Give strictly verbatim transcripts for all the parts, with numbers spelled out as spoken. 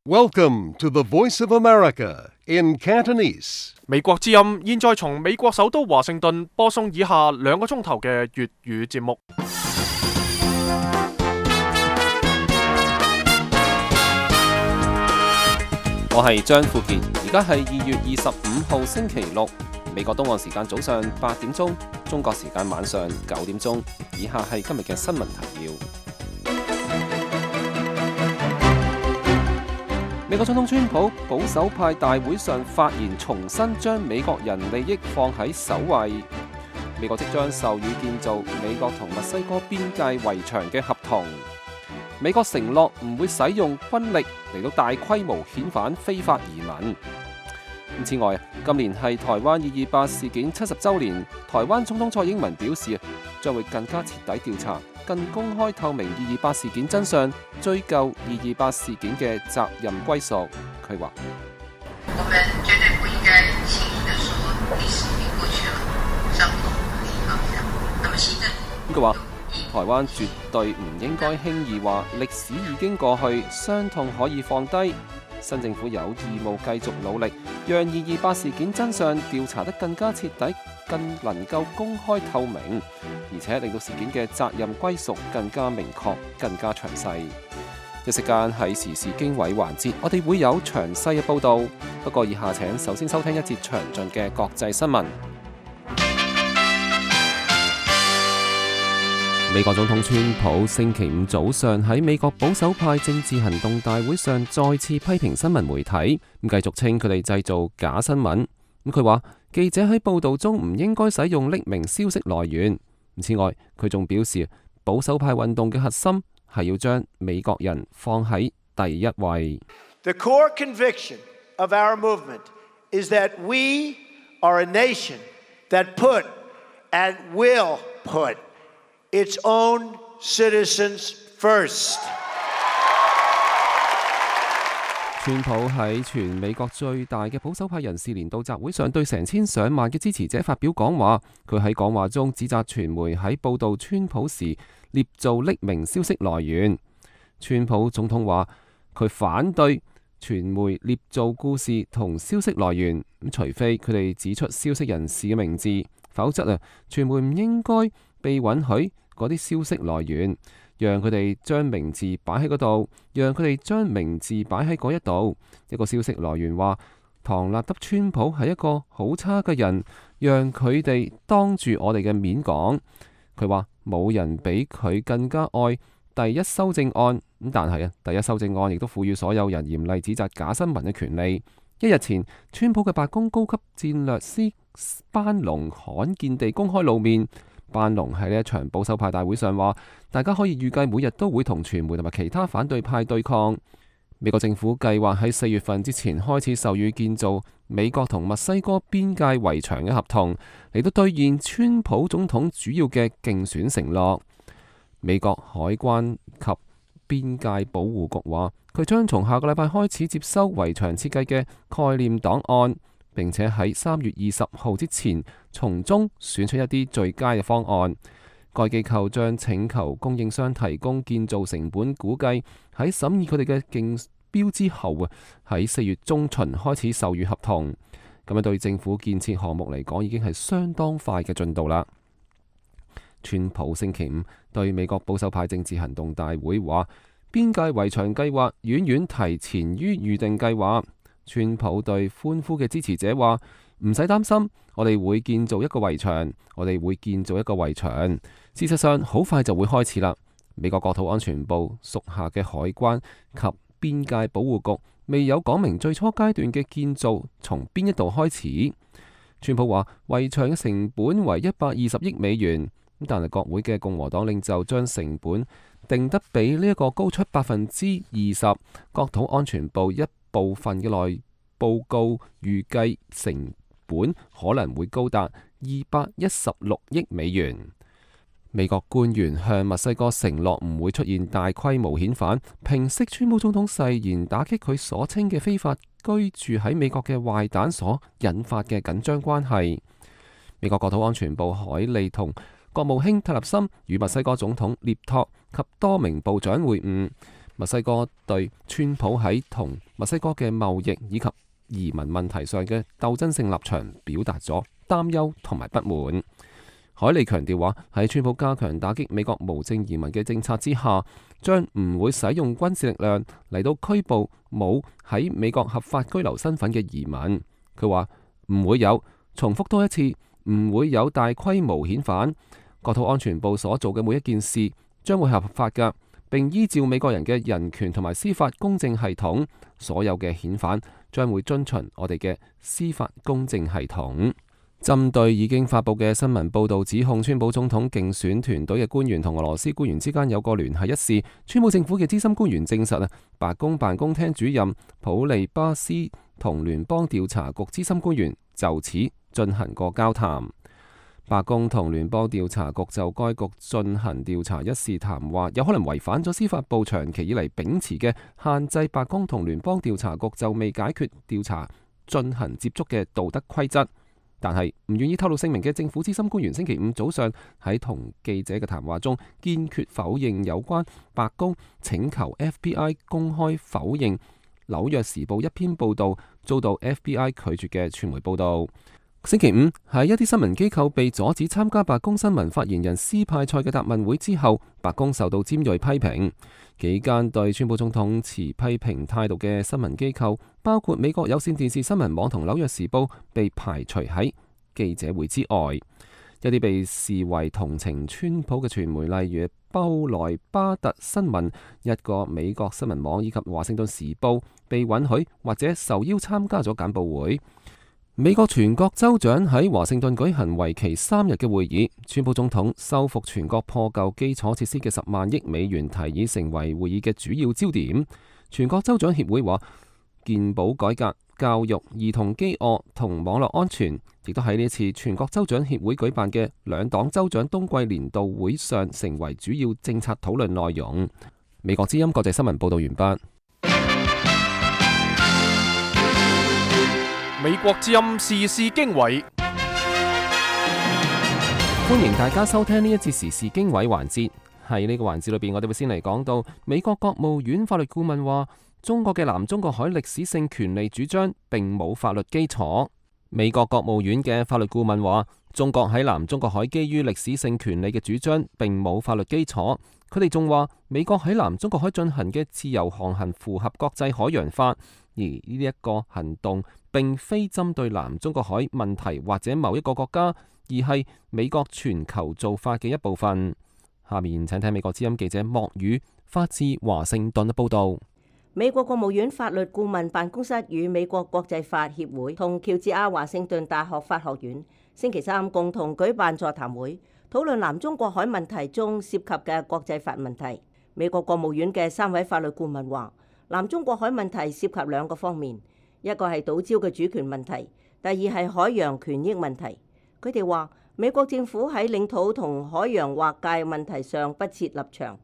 Welcome to the Voice of America in Cantonese. 美國之音現在從美國首都華盛頓播送以下兩個鐘頭嘅粵語節目。我係張富傑，而家係二月二十五號星期六，美國東岸時間早上八點鐘，中國時間晚上九點鐘。以下係今日嘅新聞提要。美國總統川普保守派大會上發言，重申將美國人利益放喺首位。美國即將授予建造美國同墨西哥邊界圍牆嘅合同。美國承諾唔會使用軍力嚟到大規模遣返非法移民。此外，今年係台灣二二八事件七十週年，台灣總統蔡英文表示，將會更加徹底調查、更公開透明二二八事件真相，追究二二八事件嘅責任歸屬。佢話：我們絕對不應該輕易地說歷史已經過去了，傷口可以放下。那麼行政佢話，台灣絕對唔應該輕易話歷史已經過去，傷痛可以放低。新政府有義務繼續努力，讓二二八事件真相調查得更加徹底，更能夠公開透明，而且令到事件嘅責任歸屬更加明確、更加詳細。一時間喺時事經緯環節，我哋會有詳細嘅報導。不過以下請首先收聽一節詳盡嘅國際新聞。美國總統川普星期五早上喺美國保守派政治行動大會上再次批評新聞媒體，咁繼續稱佢哋製造假新聞。咁佢話記者喺報導中唔應該使用匿名消息來源。此外，佢仲表示保守派運動嘅核心係要將美國人放喺第一位。The core conviction of our movement is that we are a nation that put and will put its own citizens first. 川普喺全美國最大嘅保守派人士年度集會上，對成千上萬嘅支持者發表講話。佢喺講話中指責傳媒喺報導川普時捏造匿名消息來源。川普總統話佢反對傳媒捏造故事同消息來源，咁除非佢哋指出消息人士嘅名字，否則啊，傳媒唔應該被允許嗰啲消息來源，讓佢哋將名字擺喺嗰度，讓佢哋將名字擺喺嗰一度。一個消息來源話唐納德川普係一個好差嘅人，讓佢哋當住我哋嘅面講。佢話冇人比佢更加愛第一修正案，咁但係啊，第一修正案亦都賦予所有人嚴厲指責假新聞嘅權利。一日前，川普嘅白宮高級戰略師班農罕見地公開露面。班農喺呢一場保守派大會上話，大家可以預計每日都會同傳媒同埋其他反對派對抗。美國政府計劃喺四月份之前開始授予建造美國同墨西哥邊界圍牆嘅合同，嚟到兌現川普總統主要嘅競選承諾。美國海關及邊界保護局話，佢將從下個禮拜開始接收圍牆設計嘅概念檔案，並且喺三月二十號之前從中選出一啲最佳嘅方案。該機構將請求供應商提供建造成本估計，喺審議佢哋嘅競標之後啊，喺四月中旬開始授予合同。咁樣對政府建設項目嚟講，已經係相當快嘅進度啦。川普星期五對美國保守派政治行動大會話，邊界圍牆計劃遠遠提前於預定計劃。川普對歡呼嘅支持者話：唔使擔心，我哋會建造一個圍牆，我哋會建造一個圍牆。事實上，好快就會開始啦。美國國土安全部屬下嘅海關及邊界保護局未有講明最初階段嘅建造從邊一度開始。川普話圍牆嘅成本為一百二十億美元，但係國會嘅共和黨領袖將成本定得比呢一個高出百分之二十。國土安全部一部分嘅內報告預計成本可能會高達二百一十六億美元。美國官員向墨西哥承諾唔會出現大規模遣返，平息川普總統誓言打擊佢所稱嘅非法居住喺美國嘅壞蛋所引發嘅緊張關係。美國國土安全部海利同國務卿特立森與墨西哥總統涅托及多名部長會晤。墨西哥對川普喺同墨西哥嘅貿易以及移民問題上嘅鬥爭性立場表達咗擔憂同埋不滿。海利強調話，喺川普加強打擊美國無證移民嘅政策之下，將唔會使用軍事力量嚟到拘捕冇喺美國合法居留身份嘅移民。佢話唔會有，重複多一次，唔會有大規模遣返。國土安全部所做嘅每一件事將會合法㗎，並依照美國人嘅人權同埋司法公正系統。所有嘅遣返將會遵循我哋嘅司法公正系統。針對已經發佈嘅新聞報導指控川普總統競選團隊嘅官員同俄羅斯官員之間有過聯繫一事，川普政府嘅資深官員證實啊，白宮辦公廳主任普利巴斯同聯邦調查局資深官員就此進行過交談。白宮同聯邦調查局就該局進行調查一事談話，有可能違反咗司法部長期以嚟秉持嘅限制白宮同聯邦調查局就未解決調查進行接觸嘅道德規則。但係唔願意透露姓名嘅政府資深官員星期五早上喺同記者嘅談話中，堅決否認有關白宮請求 F B I 公開否認紐約時報一篇報道遭到 F B I 拒絕嘅傳媒報道。星期五喺一啲新聞機構被阻止參加白宮新聞發言人斯派塞嘅答問會之後，白宮受到尖銳批評。幾間對川普總統持批評態度嘅新聞機構，包括美國有線電視新聞網同紐約時報，被排除喺記者會之外。一啲被視為同情川普嘅傳媒，例如布萊巴特新聞、一個美國新聞網以及華盛頓時報，被允許或者受邀參加咗簡報會。美國全國州長喺華盛頓舉行為期三日嘅會議，川普總統修復全國破舊基礎設施嘅十萬億美元提議成為會議嘅主要焦點。全國州長協會話，健保改革、教育、兒童飢餓同網絡安全，亦都喺呢次全國州長協會舉辦嘅兩黨州長冬季年度會上成為主要政策討論內容。美國之音國際新聞報道完畢。美國之音時事經緯，歡迎大家收聽呢一節時事經緯環節。喺呢個環節裏邊，我哋會先嚟講到美國國務院法律顧問話，中國嘅南中國海歷史性權利主張並冇法律基礎。美國國務院嘅法律顧問話，中國喺南中國海基於歷史性權利嘅主張並冇法律基礎。佢哋仲話，美國喺南中國海進行嘅自由航行符合國際海洋法，而呢一個行動並非針對南中國海問題或者某一個國家，而係美國全球做法嘅一部分。下面請聽美國之音記者莫宇發自華盛頓嘅報道。美國國務院法律顧問辦公室與美國國際法協會同喬治亞華盛頓大學法學院星期三共同舉辦座談會，討論南中國海問題中涉及嘅國際法問題。美國國務院嘅三位法律顧問話，南中國海問題涉及兩個方面，一個係島礁嘅主權問題，第二係海洋權益問題。佢哋話，美國政府喺領土同海洋劃界問題上不設立場，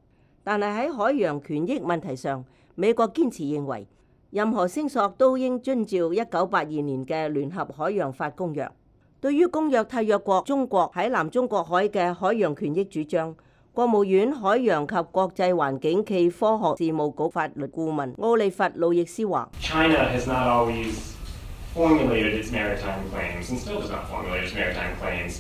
但係喺海洋權益問題上，美國堅持認為任何聲索都應遵照一九八二年嘅聯合海洋法公約。對於公約締約國中國喺南中國海嘅海洋權益主張，國務院海洋及國際環境暨科學事務局法律顧問奧利弗·路易斯話：China has not always formulated its maritime claims and still does not formulate its maritime claims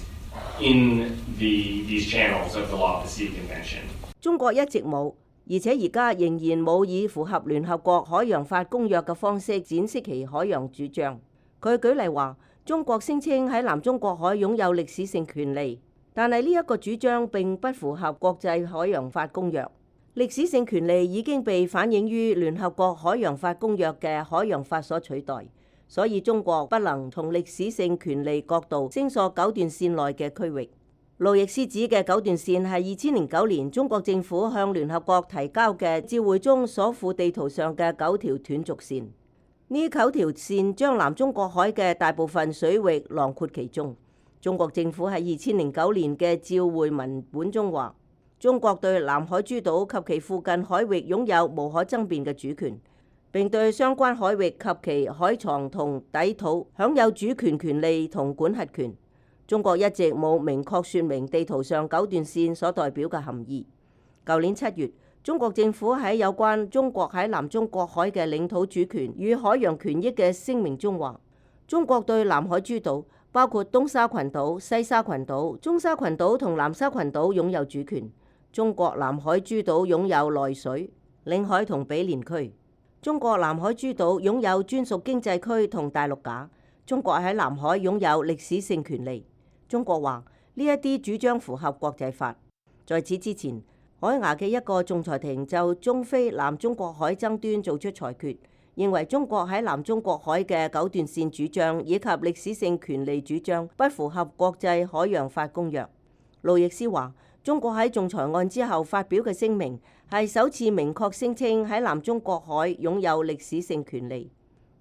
in the these channels of the Law of the Sea Convention。中國一直冇，而且而家仍然冇以符合聯合國海洋法公約嘅方式展示其海洋主張。佢舉例話，中國聲稱喺南中國海擁有歷史性權利，但係呢一個主張並不符合國際海洋法公約。歷史性權利已經被反映於聯合國海洋法公約嘅海洋法所取代，所以中國不能從歷史性權利角度聲索九段線內嘅區域。路易斯指嘅九段線係二千零九年中國政府向聯合國提交嘅照會中所附地圖上嘅九條斷續線。呢九條線將南中國海嘅大部分水域囊括其中。中國政府喺二千零九年嘅照會文本中話，中國對南海諸島及其附近海域擁有無可爭辯嘅主權，並對相關海域及其海床同底土享有主權權利同管轄權。中國一直冇明確說明地圖上九段線所代表嘅含義。舊年七月，中國政府喺有關中國喺南中國海嘅領土主權與海洋權益嘅聲明中話，中國對南海諸島，包括東沙群島、西沙群島、中沙群島同南沙群島擁有主權。中國南海諸島擁有內水、領海同毗連區。中國南海諸島擁有專屬經濟區同大陸架。中國喺南海擁有歷史性權利。中國話呢一啲主張符合國際法。在此之前，海牙嘅一個仲裁庭就中非南中國海爭端做出裁決，認為中國喺南中國海嘅九段線主張以及歷史性權利主張不符合國際海洋法公約。路易斯話，中國喺仲裁案之後發表嘅聲明係首次明確聲稱喺南中國海擁有歷史性權利，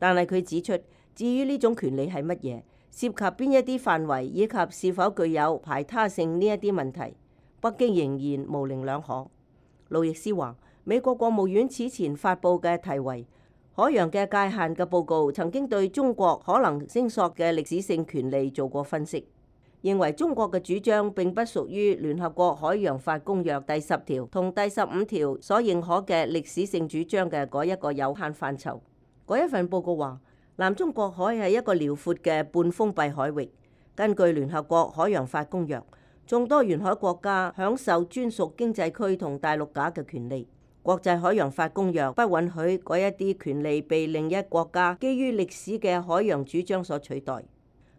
但係佢指出，至於呢種權利係乜嘢，涉及邊一啲範圍以及是否具有排他性呢一啲問題，北京仍然模棱兩可。路易斯話，美國國務院此前發布嘅題為海洋嘅界限嘅報告，曾經對中國可能聲索嘅歷史性權利做過分析，認為中國嘅主張並不屬於聯合國海洋法公約第十條同第十五條所認可嘅歷史性主張嘅嗰一個有限範疇。嗰一份報告話，南中國海係一個遼闊嘅半封閉海域，根據聯合國海洋法公約，眾多沿海國家享受專屬經濟區同大陸架嘅權利。國際海洋法公約不允許嗰一啲權利被另一國家基於歷史嘅海洋主張所取代。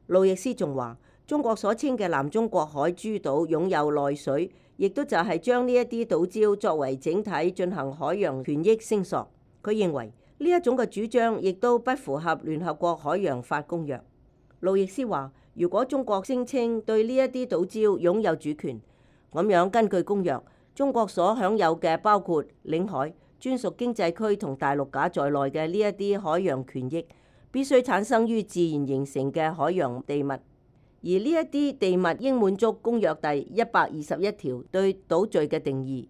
路易斯仲話，中國所稱嘅南中國海諸島擁有內水，亦都就係將呢一啲島礁作為整體進行海洋權益聲索。佢認為呢一種嘅主張亦都不符合聯合國海洋法公約。路易斯話，如果中國聲稱對呢一啲島礁擁有主權，咁樣根據公約，中國所享有嘅包括領海、專屬經濟區同大陸架在內嘅呢一啲海洋權益，必須產生於自然形成嘅海洋地物，而呢一啲地物應滿足公約第一百二十一條對島嶼嘅定義。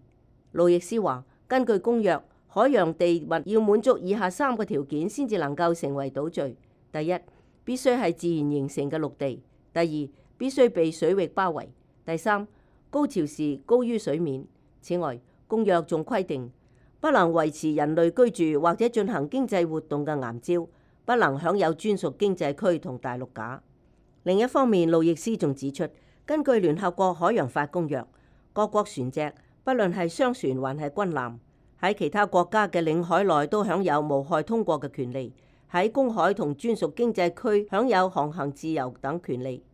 路易斯話，根據公約，海洋地物要滿足以下三個條件先至能夠成為島嶼：第一，必須係自然形成嘅陸地；第二，必須被水域包圍；第三，高潮時高於水面。此外，公約仲規定，不能維持人類居住或者進行經濟活動嘅岩礁，不能享有專屬經濟區同大陸架。另一方面，路易斯仲指出，根據聯合國海洋法公約，各國船隻，不論係商船還係軍艦，喺其他國家嘅領海內都享有無害通過嘅權利，喺公海同專屬經濟區享有航行自由等權利。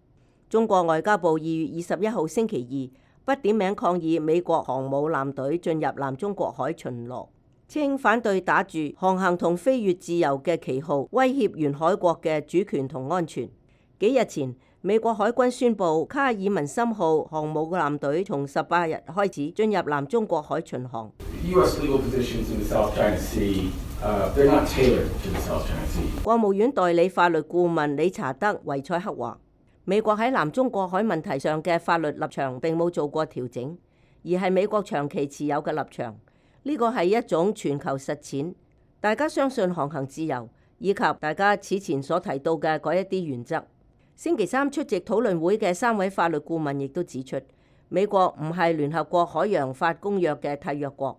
中國外交部二月二十一號星期二不點名抗議美國航母艦隊進入南中國海巡邏，稱反對打住航行同飛越自由嘅旗號，威脅沿海國嘅主權同安全。幾日前，美國海軍宣布卡爾文森號航母艦隊從十八日開始進入南中國海巡航。國務院代理法律顧問理查德維塞克話，美國喺南中國海問題上嘅法律立場並冇做過調整，而係美國長期持有嘅立場。呢個係一種全球實踐，大家相信航行自由，以及大家此前所提到嘅嗰一啲原則。星期三出席討論會嘅三位法律顧問亦都指出，美國唔係聯合國海洋法公約嘅締約國，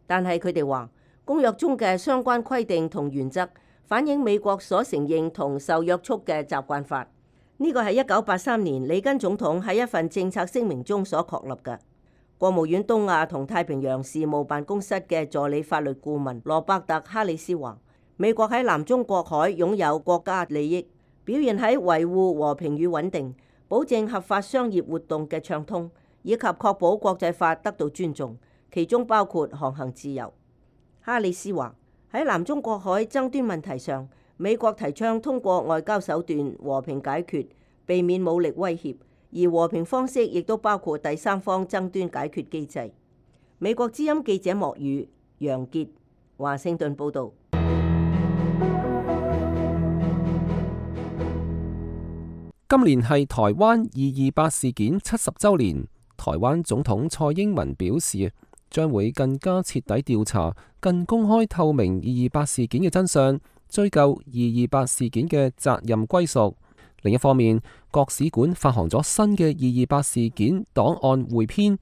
但係佢哋話公約中嘅相關規定同原則反映美國所承認同受約束嘅習慣法。呢個係一九八三年里根總統喺一份政策聲明中所確立嘅。國務院東亞同太平洋事務辦公室嘅助理法律顧問羅伯特·哈里斯話，美國喺南中國海擁有國家利益，表現喺維護和平與穩定、保證合法商業活動嘅暢通，以及確保國際法得到尊重，其中包括航行自由。哈里斯話，喺南中國海爭端問題上，美國提倡通過外交手段和平解決，避免武力威脅，而和平方式亦都包括第三方爭端解決機制。美國之音記者莫宇、楊傑，華盛頓報導。今年係台灣二二八事件七十週年，台灣總統蔡英文表示，將會更加徹底調查、更公開透明二二八事件嘅真相，追究二二八事件嘅責任歸屬。另一方面，國史館發行咗新嘅二二八事件檔案彙編。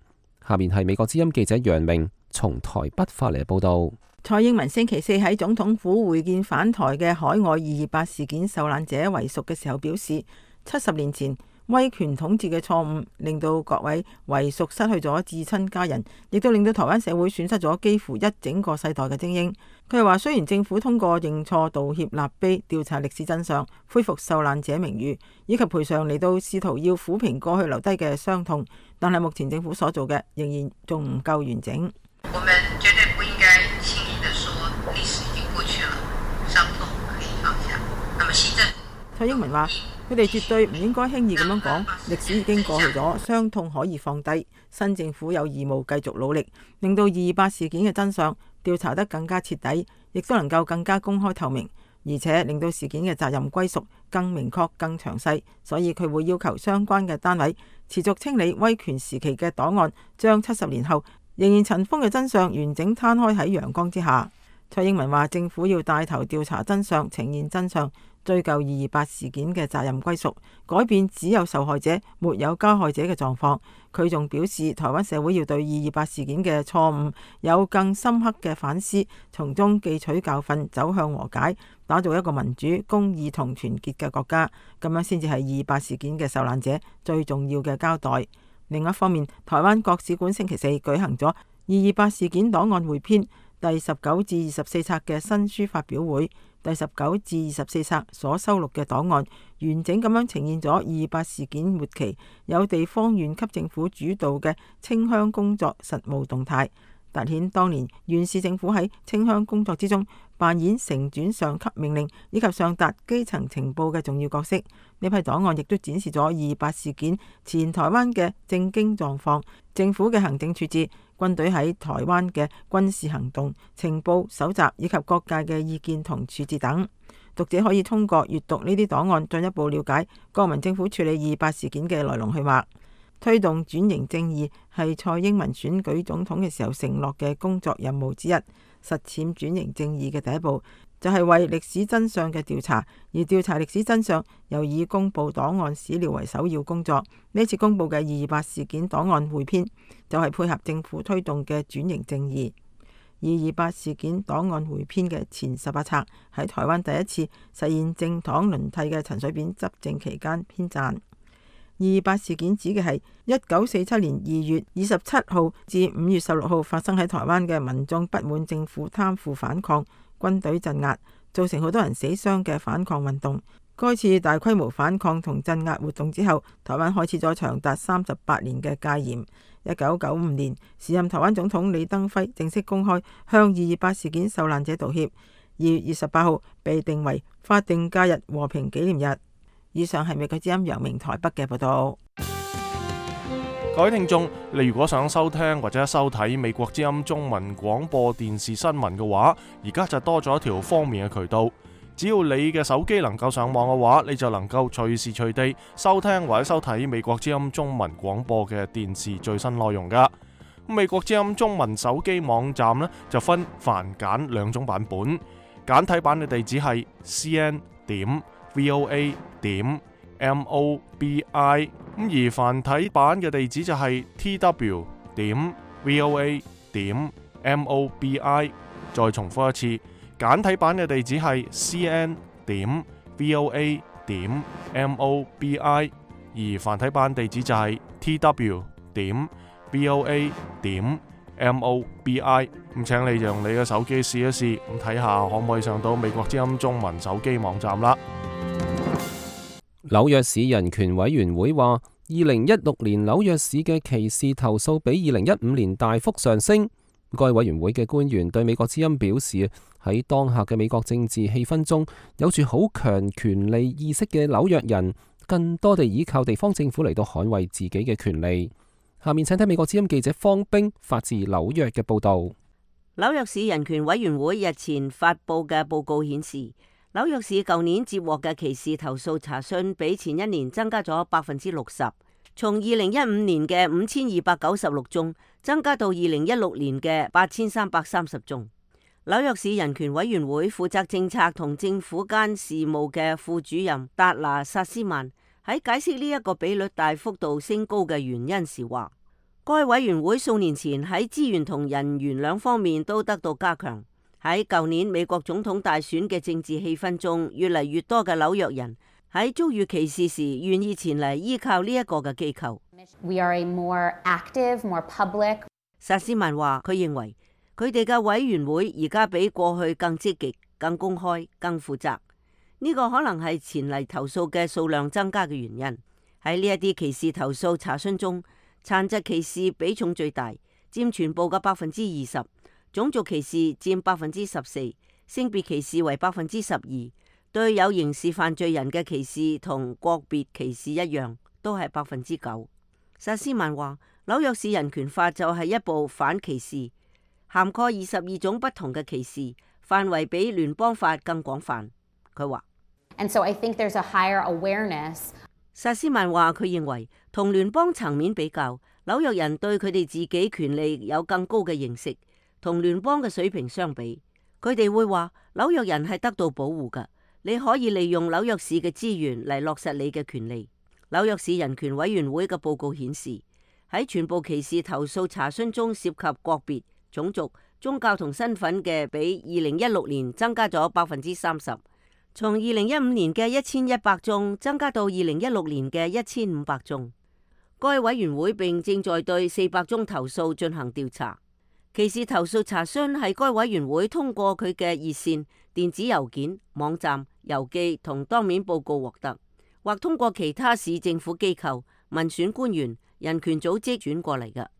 下面係美國之音記者楊明從台北發嚟嘅報道。蔡英文星期四喺總統府會見返台嘅海外二二八事件受難者遺屬嘅時候表示，七十年前威權統治嘅錯誤令到各位遺屬失去咗至親家人，亦都令到台灣社會損失咗幾乎一整個世代嘅精英。佢係話，雖然政府通過認錯道歉立碑調查歷史真相，恢復受難者名譽以及賠償嚟到試圖要撫平過去留低嘅傷痛，但係目前政府所做嘅仍然仲唔夠完整。我們絕對不應該輕易地說歷史已經過去了，傷痛可以放下。那麼新政府，蔡英文話，佢哋絕對唔應該輕易咁樣講，歷史已經過去咗，傷痛可以放低。新政府有義務繼續努力，令到二二八事件嘅真相調查得更加徹底，亦都能夠更加公開透明，而且令到事件嘅責任歸屬更明確、更詳細。所以佢會要求相關嘅單位持續清理威權時期嘅檔案，將七十年後仍然塵封嘅真相完整攤開喺陽光之下。蔡英文話，政府要帶頭調查真相，呈現真相，追究二二八事件嘅責任歸屬，改變只有受害者沒有加害者嘅狀況。佢仲表示，台灣社會要對二二八事件嘅錯誤有更深刻嘅反思，從中汲取教訓，走向和解，打造一個民主、公義同團結嘅國家。咁樣先至係二二八事件嘅受難者最重要嘅交代。另一方面，台灣國史館星期四舉行咗二二八事件檔案匯編第十九至二十四冊嘅新書發表會。第十九至二十四冊所收錄嘅檔案，完整咁樣呈現咗二二八事件末期有地方縣級政府主導嘅清鄉工作實務動態，凸顯當年縣市政府喺清鄉工作之中扮演承轉上級命令以及上達基層情報嘅重要角色。呢批檔案亦都展示咗二二八事件前台灣嘅政經狀況、政府嘅行政處置、軍隊喺台灣嘅軍事行動、情報搜集以及各界嘅意見同處置等。讀者可以通過閱讀呢啲檔案，進一步了解國民政府處理二二八事件嘅來龍去脈。推動轉型正義係蔡英文選舉總統嘅時候承諾嘅工作任務之一。實踐轉型正義嘅第一步就係為歷史真相嘅調查，而調查歷史真相又以公布檔案史料為首要工作。呢次公布嘅二二八事件檔案匯編就係配合政府推動嘅轉型正義。二二八事件檔案匯編嘅前十八冊喺台灣第一次實現政黨輪替嘅陳水扁執政期間編撰。二二八事件指嘅係一九四七年二月二十七號至五月十六號發生喺台灣嘅民眾不滿政府貪腐反抗、軍隊鎮壓，造成好多人死傷嘅反抗運動。該次大規模反抗同鎮壓活動之後，台灣開始咗長達三十八年嘅戒嚴。一九九五年，時任台灣總統李登輝正式公開向二二八事件受難者道歉。二月二十八號被定為法定假日和平紀念日。以上係美國之音楊明台北嘅報道。各位聽眾，你如果想收聽或者收睇美國之音中文廣播電視新聞嘅話，而家就多咗一條方便嘅渠道。只要你嘅手機能夠上網嘅話，你就能夠隨時隨地收聽或者收睇美國之音中文廣播嘅電視最新內容噶。美國之音中文手機網站呢，就分繁簡兩種版本，簡體版嘅地址係 c n 點 v o a 點 m o b i， 咁而繁體版嘅地址就係 t w 點 v o a 點 m o b i。再重複一次，簡體版嘅地址係 c n 點 v o a 點 m o b i， 而繁體版地址就係 t w 點 v o a 點 m o b i。咁請你用你嘅手機試一試，咁睇下可唔可以上到美國之音中文手機網站啦。紐約市人權委員會話，二零一六年紐約市嘅歧視投訴比二零一五年大幅上升。該委員會嘅官員對美國之音表示，喺當下嘅美國政治氣氛中，有住好強權利意識嘅紐約人，更多地依靠地方政府嚟到捍衛自己嘅權利。下面請睇美國之音記者方冰發自紐約嘅報道。紐約市人權委員會日前發布嘅報告顯示，紐約市舊年接獲嘅歧視投訴查詢比前一年增加咗百分之六十，從二零一五年嘅五千二百九十六宗增加到二零一六年嘅八千三百三十宗。紐約市人權委員會負責政策同政府間事務嘅副主任達拿薩斯曼喺解釋呢一個比率大幅度升高嘅原因時話，該委員會數年前喺資源同人員兩方面都得到加強。喺舊年美國總統大選嘅政治氣氛中，越嚟越多嘅紐約人喺遭遇歧視時，願意前嚟依靠呢一個嘅機構。We are a more active, more public. 薩斯曼話：佢認為佢哋嘅委員會而家比過去更積極、更公開、更負責。呢個可能係前嚟投訴嘅數量增加嘅原因。喺呢一啲歧視投訴查詢中，殘疾歧視比重最大，佔全部嘅百分之二十；種族歧視佔百分之十四，性別歧視為百分之十二。對有刑事犯罪人嘅歧視同國別歧視一樣，都係百分之九。薩斯曼話：紐約市人權法就係一部反歧視，涵蓋二十二種不同嘅歧視，範圍比聯邦法更廣泛。佢話 And so I think there's a higher awareness. 薩斯曼話：佢認為同聯邦層面比較，紐約人對佢哋自己權利有更高嘅認識，同聯邦嘅水平相比，佢哋會話紐約人係得到保護㗎。你可以利用紐約市嘅資源嚟落實你嘅權利。紐約市人權委員會嘅報告顯示，喺全部歧視投訴查詢中涉及國別、種族、宗教同身份嘅，比二零一六年增加咗百分之三十，從二零一五年嘅一千一百宗增加到二零一六年嘅一千五百宗。該委員會並正在對四百宗投訴進行調查。歧視投訴查詢係該委員會通過佢嘅熱線、電子郵件、網站、郵寄同當面報告獲得，或通過其他市政府機構、民選官員、人權組織轉過嚟嘅。二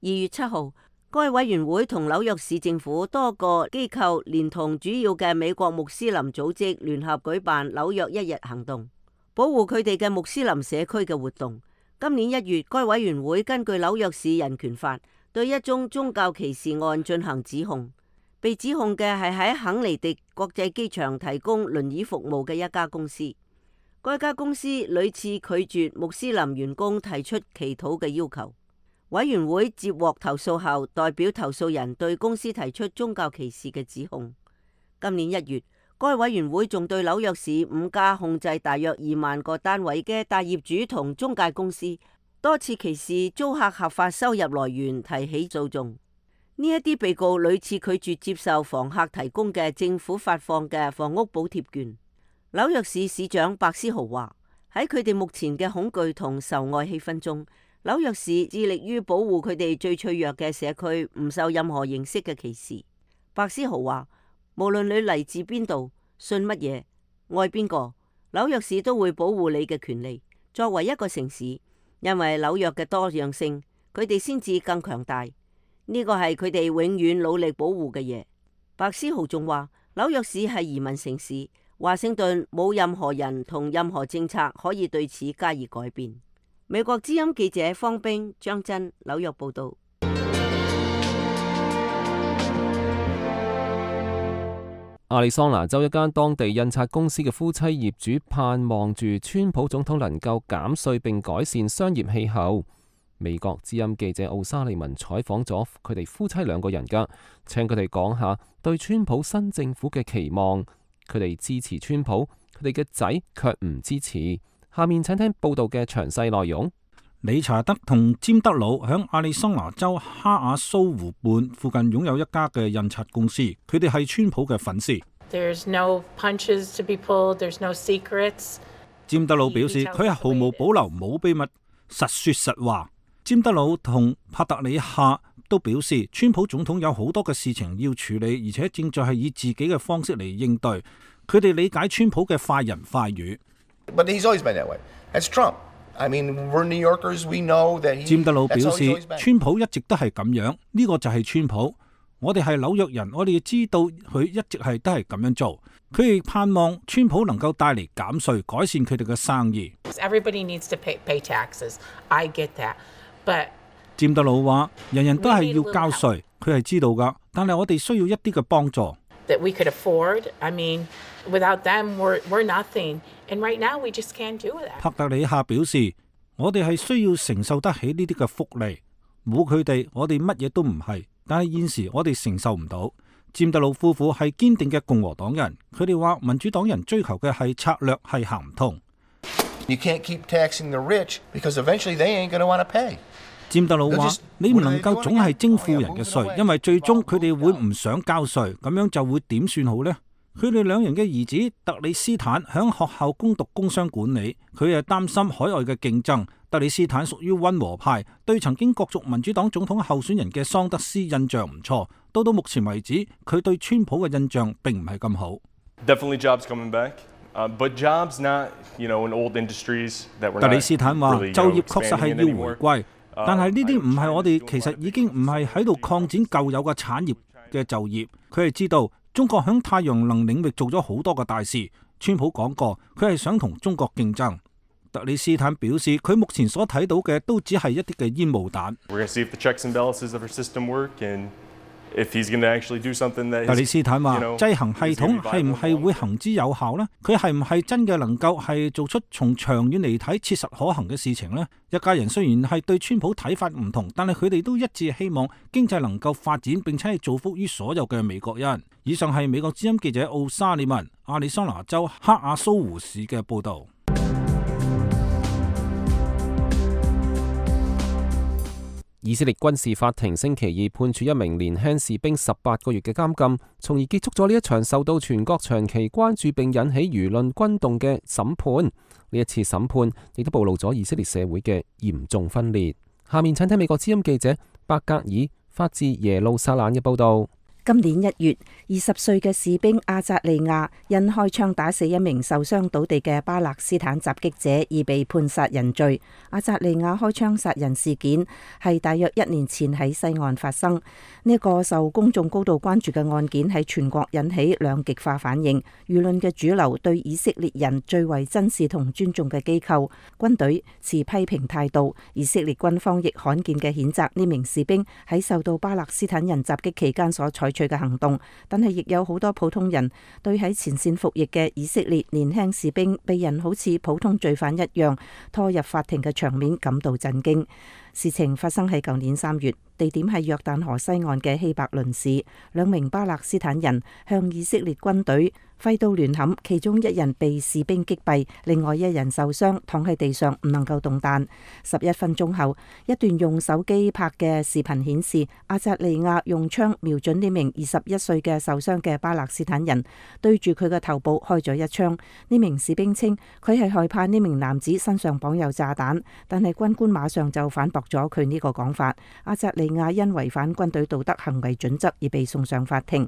月七號，該委員會同紐約市政府多個機構連同主要嘅美國穆斯林組織聯合舉辦紐約一日行動，保護佢哋嘅穆斯林社區嘅活動。今年一月，該委員會根據紐約市人權法對一宗宗教歧視案進行指控，被指控嘅係喺肯尼迪國際機場提供輪椅服務嘅一家公司。該家公司屢次拒絕穆斯林員工提出祈禱嘅要求。委員會接獲投訴後，代表投訴人對公司提出宗教歧視嘅指控。今年一月，該委員會仲對紐約市五家控制大約二萬個單位嘅大業主同中介公司多次歧視租客合法收入來源提起訴訟。呢一啲被告屢次拒絕接受房客提供嘅政府發放嘅房屋補貼券。紐約市市長白思豪話：喺佢哋目前嘅恐懼同受愛氣氛中，紐約市致力於保護佢哋最脆弱嘅社區唔受任何形式嘅歧視。白思豪話：無論你嚟自邊度、信乜嘢、愛邊個，紐約市都會保護你嘅權利。作為一個城市，因為紐約嘅多樣性，佢哋先至更強大。呢個係佢哋永遠努力保護嘅嘢。白思豪仲話：紐約市係移民城市，華盛頓冇任何人同任何政策可以對此加以改變。美國之音記者方冰、張真，紐約報道。亞利桑那州一間當地印刷公司嘅夫妻業主盼望住川普總統能夠減稅並改善商業氣候。美國之音記者奧沙利文採訪咗佢哋夫妻兩個人㗎，請佢哋講下對川普新政府嘅期望。佢哋支持川普，佢哋嘅仔卻唔支持。下面請聽報道嘅詳細內容。理查德同詹德魯響亞利桑那州哈瓦蘇湖畔附近擁有一家嘅印刷公司，佢哋係川普嘅粉絲。There's no punches to be pulled, there's no secrets. 詹德魯表示佢係毫無保留、冇秘密、實說實話。詹德魯同帕特里夏都表示，川普總統有好多嘅事情要處理，而且正在係以自己嘅方式嚟應對。佢哋理解川普嘅快人快語。But he's always been that way. That's Trump. I mean, we're New Yorkers. We know that he. 詹德魯表示，川普一直都係咁樣，呢個就係川普。我哋係紐約人，我哋要知道佢一直係都係咁樣做。佢哋盼望川普能夠帶嚟減稅，改善佢哋嘅生意。Everybody needs to pay, pay taxes. I get that, but 詹德魯話：人人都係要交稅，佢係知道㗎，但係我哋需要一啲嘅幫助。That we could afford. I mean, without them, we're we're nothing. And right now, we just can't do that. 帕特里夏表示：我哋係需要承受得起呢啲嘅福利，冇佢哋，我哋乜嘢都唔係。但係現時我哋承受唔到。詹德魯夫婦係堅定嘅共和黨人，佢哋話民主黨人追求嘅係策略係行唔通。You can't keep taxing the rich because eventually they ain't going to want to pay. 占德魯話：你唔能夠總係徵富人嘅稅，因為最終佢哋會唔想交稅，咁樣就會點算好呢？佢哋兩人嘅兒子特里斯坦響學校攻讀工商管理，佢係擔心海外嘅競爭。特里斯坦屬於溫和派，對曾經角逐民主黨總統候選人嘅桑德斯印象唔錯。到到目前為止，佢對川普嘅印象並唔係咁好。Definitely jobs coming back, but jobs not, you know, in old industries that we're not really, 特里斯坦話：就業確實係要回歸，但係呢啲唔係我哋其實已經唔係喺度擴展舊有嘅產業嘅就業。佢係知道中國響太陽能領域做咗好多個大事。川普講過，佢係想同中國競爭。特里斯坦表示，佢目前所睇到嘅都只係一啲嘅煙霧彈。特里斯坦話：制衡系統係唔係會行之有效呢？佢係唔係真嘅能夠係做出從長遠嚟睇切實可行嘅事情呢？一家人雖然係對川普睇法唔同，但係佢哋都一致希望經濟能夠發展，並且係造福於所有嘅美國人。以上係美國之音記者奧沙利文，亞利桑那州克亞蘇湖市嘅報導。以色列軍事法庭星期二判處一名年輕士兵十八個月嘅監禁，從而結束咗呢一場受到全國長期關注並引起輿論轟動嘅審判。呢一次審判亦都暴露咗以色列社會嘅嚴重分裂。下面請睇美國之音記者伯格爾發自耶路撒冷嘅報導。今年一月，二十歲嘅士兵阿扎利亞因開槍打死一名受傷倒地嘅巴勒斯坦襲擊者而被判殺人罪。阿扎利亞開槍殺人事件係大約一年前喺西岸發生。呢、這、一個受公眾高度關注嘅案件喺全國引起兩極化反應。輿論嘅主流對以色列人最為珍視同尊重嘅機構軍隊持批評態度。以色列軍方亦罕見嘅譴責呢名士兵喺受到巴勒斯坦人襲擊期間所採取嘅行動，但係亦有好多普通人對喺前線服役嘅以色列年輕士兵被人好似普通罪犯一樣拖入法庭嘅場面感到震驚。事情發生喺舊年三月，地點係約旦河西岸嘅希伯倫市。兩名巴勒斯坦人向以色列軍隊揮刀亂砍，其中一人被士兵擊斃，另外一人受傷，躺喺地上唔能夠動彈。十一分鐘後，一段用手機拍嘅視頻顯示，阿扎利亞用槍瞄準呢名二十一歲嘅受傷嘅巴勒斯坦人，對住佢嘅頭部開咗一槍。呢名士兵稱佢係害怕呢名男子身上綁有炸彈，但係軍官馬上就反駁咗佢呢個講法。阿扎利亞因違反軍隊道德行為準則而被送上法庭，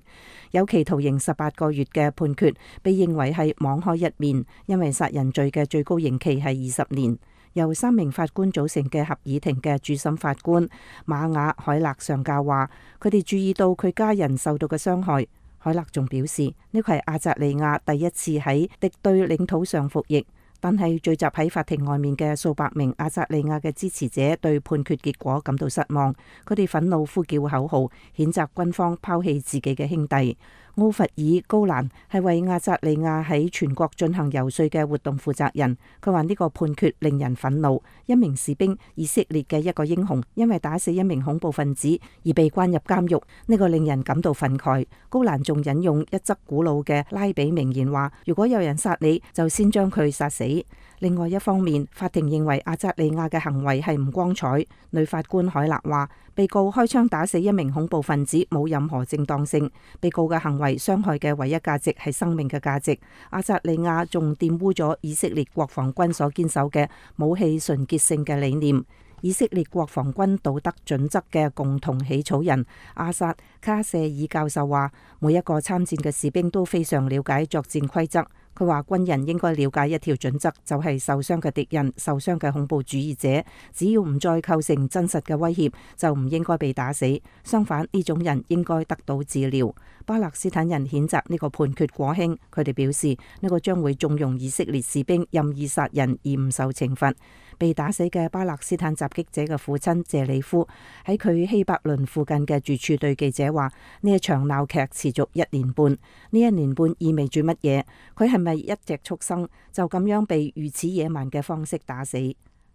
有期徒刑十八個月嘅判決被認為係網開一面，因為殺人罪嘅最高刑期係二十年。由三名法官組成嘅合議庭嘅主審法官馬雅海勒上校話，佢哋注意到佢家人受到嘅傷害。海勒仲表示，呢個係阿扎利亞第一次喺敵對領土上服役。但係聚集喺法庭外面嘅數百名阿扎利亞嘅支持者對判決結果感到失望，佢哋憤怒呼叫口號，譴責軍方拋棄自己嘅兄弟。奧弗爾高蘭係為阿扎利亞喺全國進行遊說嘅活動負責人，佢話呢個判決令人憤怒。一名士兵，以色列嘅一個英雄，因為打死一名恐怖分子而被關入監獄，呢個令人感到憤慨。高蘭仲引用一則古老嘅拉比名言話：如果有人殺你，就先將佢殺死。另外一方面，法庭認為阿扎利亞嘅行為係唔光彩。女法官海勒話，被告開槍打死一名恐怖分子冇任何正當性，被告嘅行為傷害嘅唯一價值係生命嘅價值。阿扎利亞仲玷污咗以色列國防軍所堅守嘅武器純潔性嘅理念。以色列國防軍道德準則嘅共同起草人阿薩卡舍爾教授話，每一個參戰嘅士兵都非常了解作戰規則。佢話軍人應該了解一條準則，就係受傷嘅敵人、受傷嘅恐怖主義者，只要唔再構成真實嘅威脅，就唔應該被打死。相反，呢種人應該得到治療。巴勒斯坦人譴責呢個判決過輕，佢哋表示呢個將會縱容以色列士兵任意殺人而唔受懲罰。被打死嘅巴勒斯坦襲擊者嘅父親謝里夫喺佢希伯倫附近嘅住處對記者話：呢一場鬧劇持續一年半，呢一年半意味住乜嘢？佢係咪一隻畜生就咁樣被如此野蠻嘅方式打死？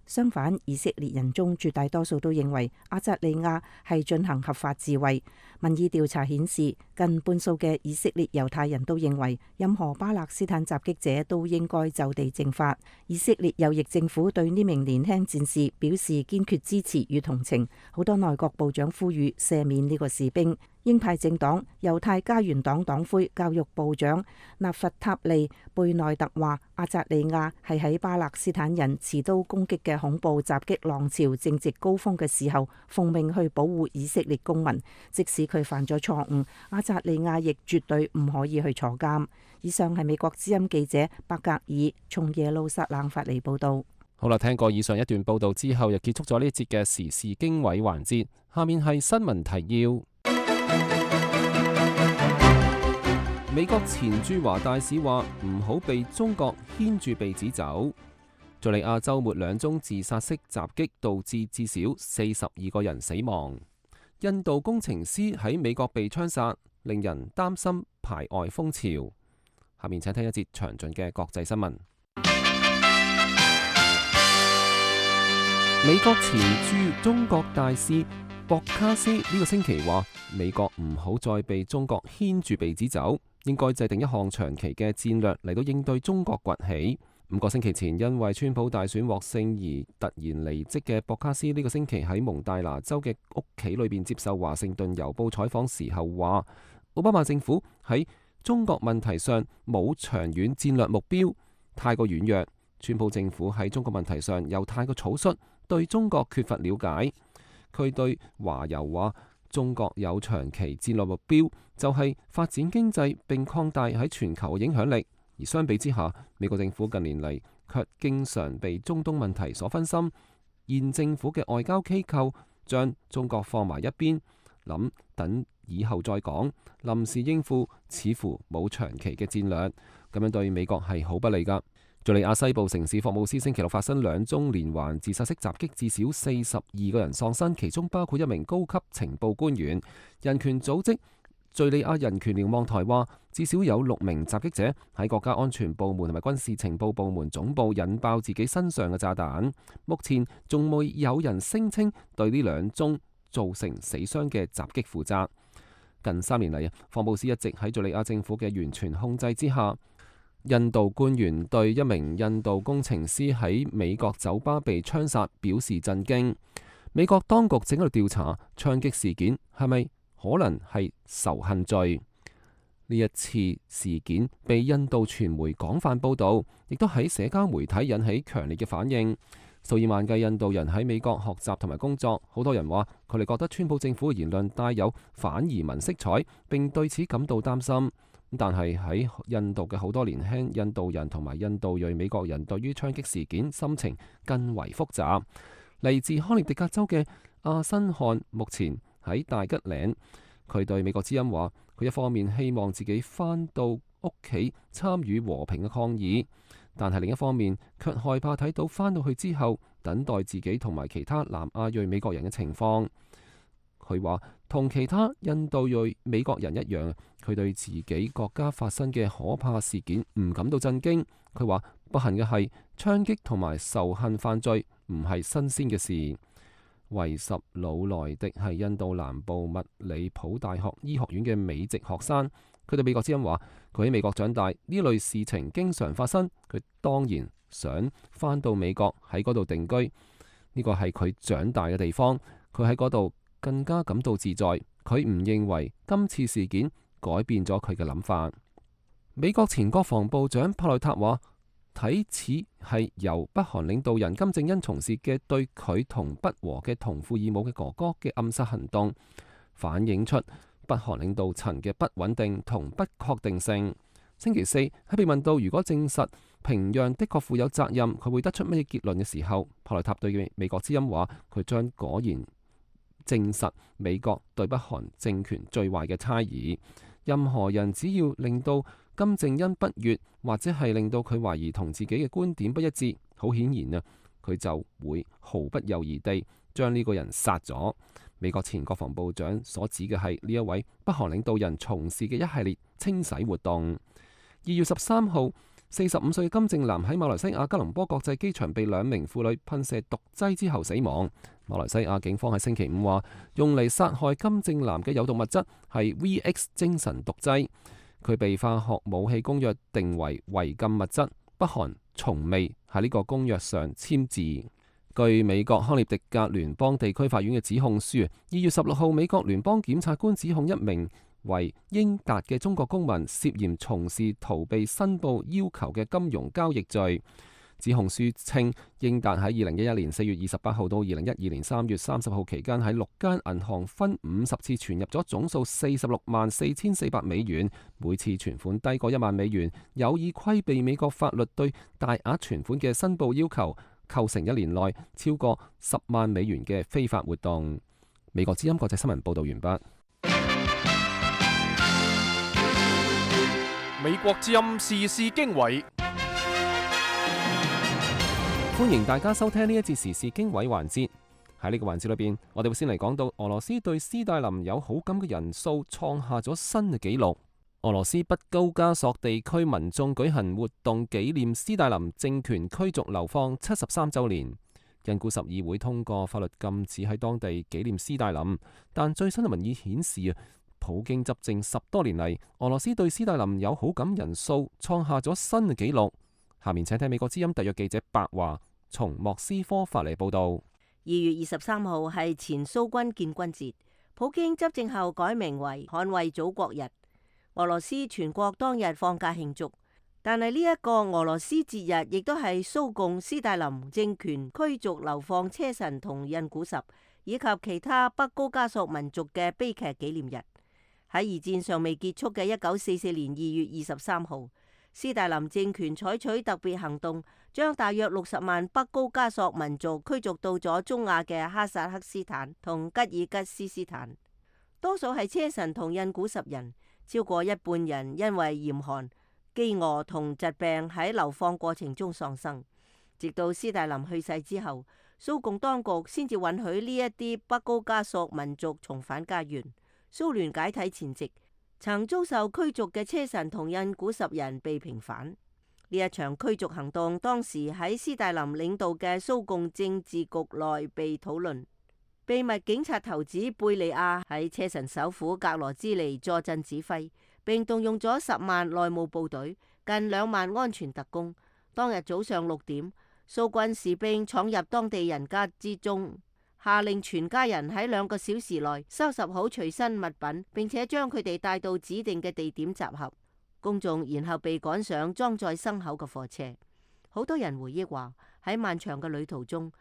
相反，以色列人中絕大多數都認為阿扎利亞係進行合法自衛。民意調查顯示，近半數嘅以色列猶太人都認為任何巴勒斯坦襲擊者都應該就地正法。以色列右翼政府對呢名年輕戰士表示堅決支持與同情，好多內閣部長呼籲赦免呢個士兵。鷹派政黨猶太家園黨黨魁教育部長納弗塔利貝內特話：阿扎利亞係喺巴勒斯坦人持刀攻擊嘅恐怖襲擊浪潮正值高峰嘅時候，奉命去保護以色列公民。即使佢犯咗錯誤，阿扎利亞亦絕對唔可以去坐監。以上係美國之音記者伯格爾從耶路撒冷發嚟報道。好啦，聽過以上一段報道之後，又結束咗呢一節嘅時事經緯環節。下面係新聞提要。美國前駐華大使話唔好被中國牽住鼻子走。敘利亞週末兩宗自殺式襲擊導致至少四十二個人死亡。印度工程師喺美國被槍殺，令人擔心排外風潮。下面請聽一節詳盡嘅國際新聞。美國前駐中國大使博卡斯呢個星期話，美國唔好再被中國牽住鼻子走，應該制定一項長期嘅戰略嚟到應對中國崛起。五個星期前因為川普大選獲勝而突然離職嘅博卡斯呢個星期喺蒙大拿州嘅屋企裏邊接受華盛頓郵報採訪時候話，奧巴馬政府喺中國問題上冇長遠戰略目標，太過軟弱。川普政府喺中國問題上又太過草率，對中國缺乏了解。佢對華郵話，中國有長期戰略目標，就係發展經濟並擴大喺全球嘅影響力。而相比之下，美國政府近年嚟卻經常被中東問題所分心。現政府嘅外交機構將中國放埋一邊，諗等以後再講，臨時應付似乎冇長期嘅戰略，咁樣對美國係好不利㗎。敘利亞西部城市霍姆斯星期六發生兩宗連環自殺式襲擊，至少四十二個人喪生，其中包括一名高級情報官員。人權組織敘利亞人權瞭望台話，至少有六名襲擊者喺國家安全部門同埋軍事情報部門總部引爆自己身上嘅炸彈。目前仲未有人聲稱對呢兩宗造成死傷嘅襲擊負責。近三年嚟，霍姆斯一直喺敘利亞政府嘅完全控制之下。印度官員對一名印度工程師喺美國酒吧被槍殺表示震驚。美國當局正喺度調查槍擊事件係咪可能係仇恨罪。呢一次事件被印度傳媒廣泛報導，亦都喺社交媒體引起強烈嘅反應。數以萬計印度人喺美國學習同埋工作，好多人話佢哋覺得川普政府嘅言論帶有反移民色彩，並對此感到擔心。但係喺印度嘅好多年輕印度人同埋印度裔美國人對於槍擊事件心情更為複雜。嚟自康涅狄格州嘅阿辛漢目前喺大吉嶺，佢對美國之音話，佢一方面希望自己返到屋企參與和平嘅抗議，但係另一方面卻害怕睇到返到去之後等待自己同埋其他南亞裔美國人嘅情況。佢話同其他印度裔美國人一樣，佢對自己國家發生嘅可怕事件唔感到震驚。佢話不幸嘅係槍擊同埋仇恨犯罪唔係新鮮嘅事。維什魯萊迪係印度南部密里普大學醫學院嘅美籍學生，佢對美國之音話，佢喺美國長大，呢類事情經常發生，佢當然想返到美國喺嗰度定居，呢個係佢長大嘅地方，佢喺嗰度更加感到自在。佢唔認為今次事件改變咗佢嘅諗法。美國前國防部長帕內塔話，睇似係由北韓領導人金正恩從事嘅對佢同不和嘅同父異母嘅哥哥嘅暗殺行動，反映出北韓領導層嘅不穩定同不確定性。星期四喺被問到如果證實平壤的確負有責任，佢會得出乜嘢結論嘅時候，帕內塔對美國之音話，佢將果然證實美國對北韓政權最壞嘅猜疑。任何人只要令到金正恩不悅，或者係令到佢懷疑同自己嘅觀點不一致，好顯然啊，佢就會毫不猶豫地將呢個人殺咗。美國前國防部長所指嘅係呢一位北韓領導人從事嘅一系列清洗活動。二月十三號，四十五歲嘅金正男喺馬來西亞吉隆坡國際機場被兩名婦女噴射毒劑之後死亡。馬來西亞警方喺星期五話，用嚟殺害金正男嘅有毒物質係 V X 精神毒劑，佢被化學武器公約定為違禁物質，北韓從未喺呢個公約上簽字。據美國康涅狄格聯邦地區法院嘅指控書，二月十六號美國聯邦檢察官指控一名為英達嘅中國公民涉嫌從事逃避申報要求嘅金融交易罪。指控書稱，英達喺二零一一年四月二十八號到二零一二年三月三十號期間喺六間銀行分五十次存入咗總數四十六萬四千四百美元，每次存款低過一萬美元，有意規避美國法律對大額存款嘅申報要求，構成一年內超過十萬美元嘅非法活動。美國之音國際新聞報道完畢。美國之音時事經緯，歡迎大家收聽呢一節時事經緯環節。喺呢個環節裏邊，我哋會先嚟講到俄羅斯對斯大林有好感嘅人數創下咗新嘅紀錄。俄羅斯北高加索地區民眾舉行活動紀念斯大林政權驅逐流放七十三週年。印古什議會通過法律禁止喺當地紀念斯大林，但最新嘅民意顯示啊，普京執政十多年嚟，俄羅斯對斯大林有好感人數創下咗新嘅紀錄。下面請聽美國之音特約記者白華從莫斯科發嚟報道。二月二十三號係前蘇軍建軍節，普京執政後改名為捍衛祖國日。俄羅斯全國當日放假慶祝，但係呢一個俄羅斯節日亦都係蘇共斯大林政權驅逐流放車臣同印古什以及其他北高加索民族嘅悲劇紀念日。喺二戰尚未結束嘅一九四四年二月二十三號，斯大林政權採取特別行動，將大約六十萬北高加索民族驅逐到咗中亞嘅哈薩克斯坦同吉爾吉斯斯坦，多數係車臣同印古什人。超過一半人因為嚴寒、飢餓同疾病喺流放過程中喪生。直到斯大林去世之後，蘇共當局先至允許呢一啲北高加索民族重返家園。蘇聯解體前夕，曾遭受驅逐嘅車臣同印古什人被平反。呢一場驅逐行動當時喺斯大林領導嘅蘇共政治局內被討論。秘密警察頭子貝利亞喺車臣首府格羅茲尼坐鎮指揮，並動用咗十萬內務部隊、近兩萬安全特工。當日早上六點，蘇軍士兵闖入當地人家之中，下令全家人喺兩個小時內收拾好隨身物品，並且將佢哋帶到指定嘅地點集合。公眾然後被趕上裝載牲口嘅貨車。好多人回憶話，喺漫長嘅旅途中，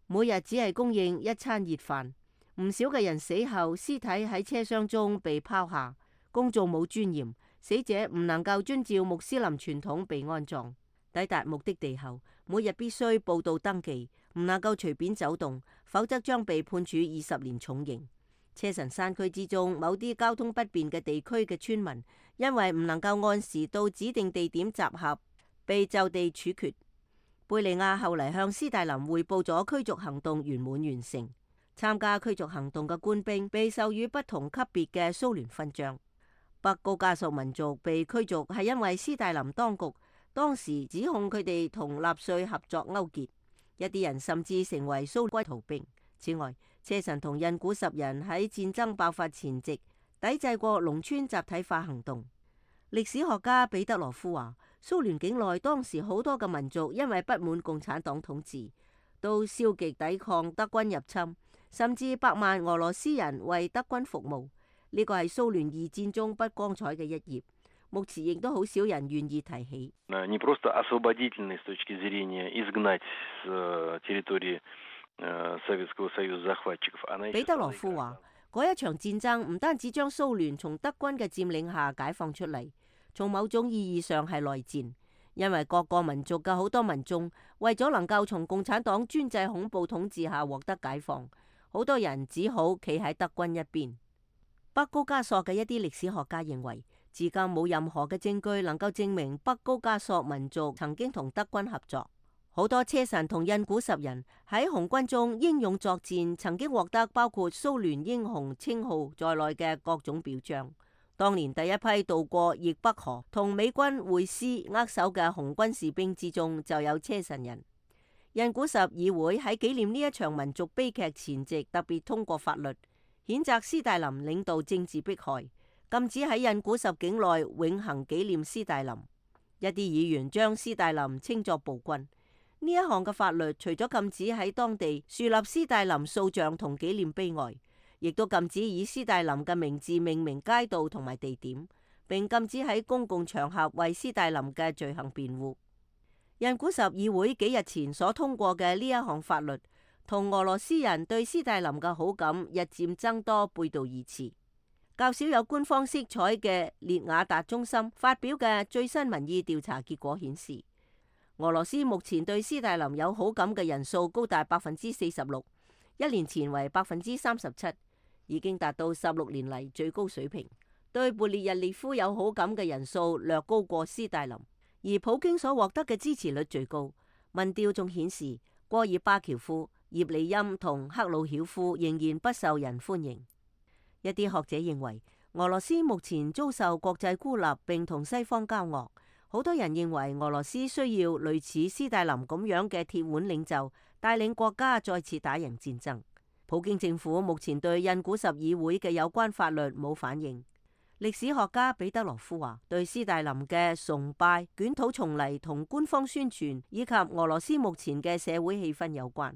每日只係供應一餐熱飯，唔少嘅人死後屍體喺車廂中被拋下，公眾冇尊嚴，死者唔能夠遵照穆斯林傳統被安葬。抵達目的地後，每日必須報到登記，唔能夠隨便走動，否則將被判處二十年重刑。車臣山區之中某啲交通不便嘅地區嘅村民，因為唔能夠按時到指定地點集合，被就地處決。貝利亞後嚟向斯大林匯報咗驅逐行動圓滿完成。參加驅逐行動嘅官兵被授予不同級別嘅蘇聯勳章。北高加索民族被驅逐係因為斯大林當局當時指控佢哋同納粹合作勾結，一啲人甚至成為蘇軍逃兵。此外，車臣同印古什人喺戰爭爆發前夕抵制過農村集體化行動。歷史學家彼得羅夫話，蘇聯境內當時好多嘅民族因為不滿共產黨統治，都消極抵抗德軍入侵，甚至百萬俄羅斯人為德軍服務。呢個係蘇聯二戰中不光彩嘅一頁，目前亦都好少人願意提起。彼得羅夫話，嗰一場戰爭唔單止將蘇聯從德軍嘅佔領下解放出嚟，從某種意義上係內戰，因為各個民族嘅好多民眾為咗能夠從共產黨專制恐怖統治下獲得解放，好多人只好企喺德軍一邊。北高加索嘅一啲歷史學家認為，至今冇任何嘅證據能夠證明北高加索民族曾經同德軍合作。好多車臣同印古什人喺紅軍中英勇作戰，曾經獲得包括蘇聯英雄稱號在內嘅各種表彰。當年第一批渡過易北河同美軍會師握手嘅紅軍士兵之中就有車臣人。印古什議會喺紀念呢一場民族悲劇前夕特別通過法律，譴責斯大林領導政治迫害，禁止喺印古什境內永恆紀念斯大林。一啲議員將斯大林稱作暴君。呢一項嘅法律除咗禁止喺當地樹立斯大林塑像同紀念碑外，亦都禁止以斯大林嘅名字命名街道同埋地點，並禁止喺公共場合為斯大林嘅罪行辯護。印古什議會幾日前所通過嘅呢一項法律，同俄羅斯人對斯大林嘅好感日漸增多背道而馳。較少有官方色彩嘅列雅達中心發表嘅最新民意調查結果顯示，俄羅斯目前對斯大林有好感嘅人數高達百分之四十六，一年前為百分之三十七，已經達到十六年嚟最高水平。對勃列日涅夫有好感嘅人數略高過斯大林。而普京所獲得嘅支持率最高，民調仲顯示戈爾巴喬夫、葉利欽同赫魯曉夫仍然不受人歡迎。一啲學者認為，俄羅斯目前遭受國際孤立並同西方交惡，好多人認為俄羅斯需要類似斯大林咁樣嘅鐵腕領袖，帶領國家再次打贏戰爭。普京政府目前對印古什議會嘅有關法律冇反應。歷史學家彼得羅夫話，對斯大林嘅崇拜捲土重嚟同官方宣傳以及俄羅斯目前嘅社會氣氛有關，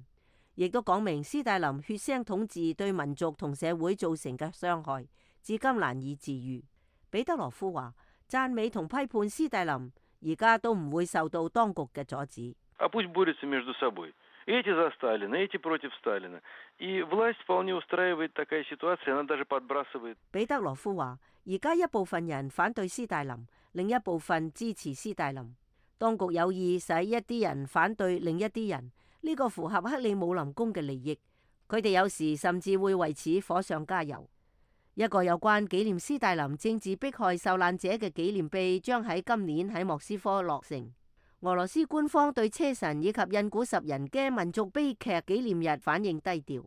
亦都講明斯大林血腥統治對民族同社會造成嘅傷害至今難以治愈。彼得羅夫話，讚美同批判斯大林而家都唔會受到當局嘅阻止。Эти за Сталина, эти против Сталина. И власть вполне устраивает такая ситуация, она даже подбрасывает. 彼得羅夫話，而家一部分人反對斯大林，另一部分支持斯大林。當局有意使一啲人反對另一啲人，呢個符合克里姆林宮嘅利益。佢哋有時甚至會為此火上加油。一個有關紀念斯大林政治迫害受難者嘅紀念碑將喺今年喺莫斯科落成。俄羅斯官方對車臣以及印古什人嘅民族悲劇紀念日反應低調。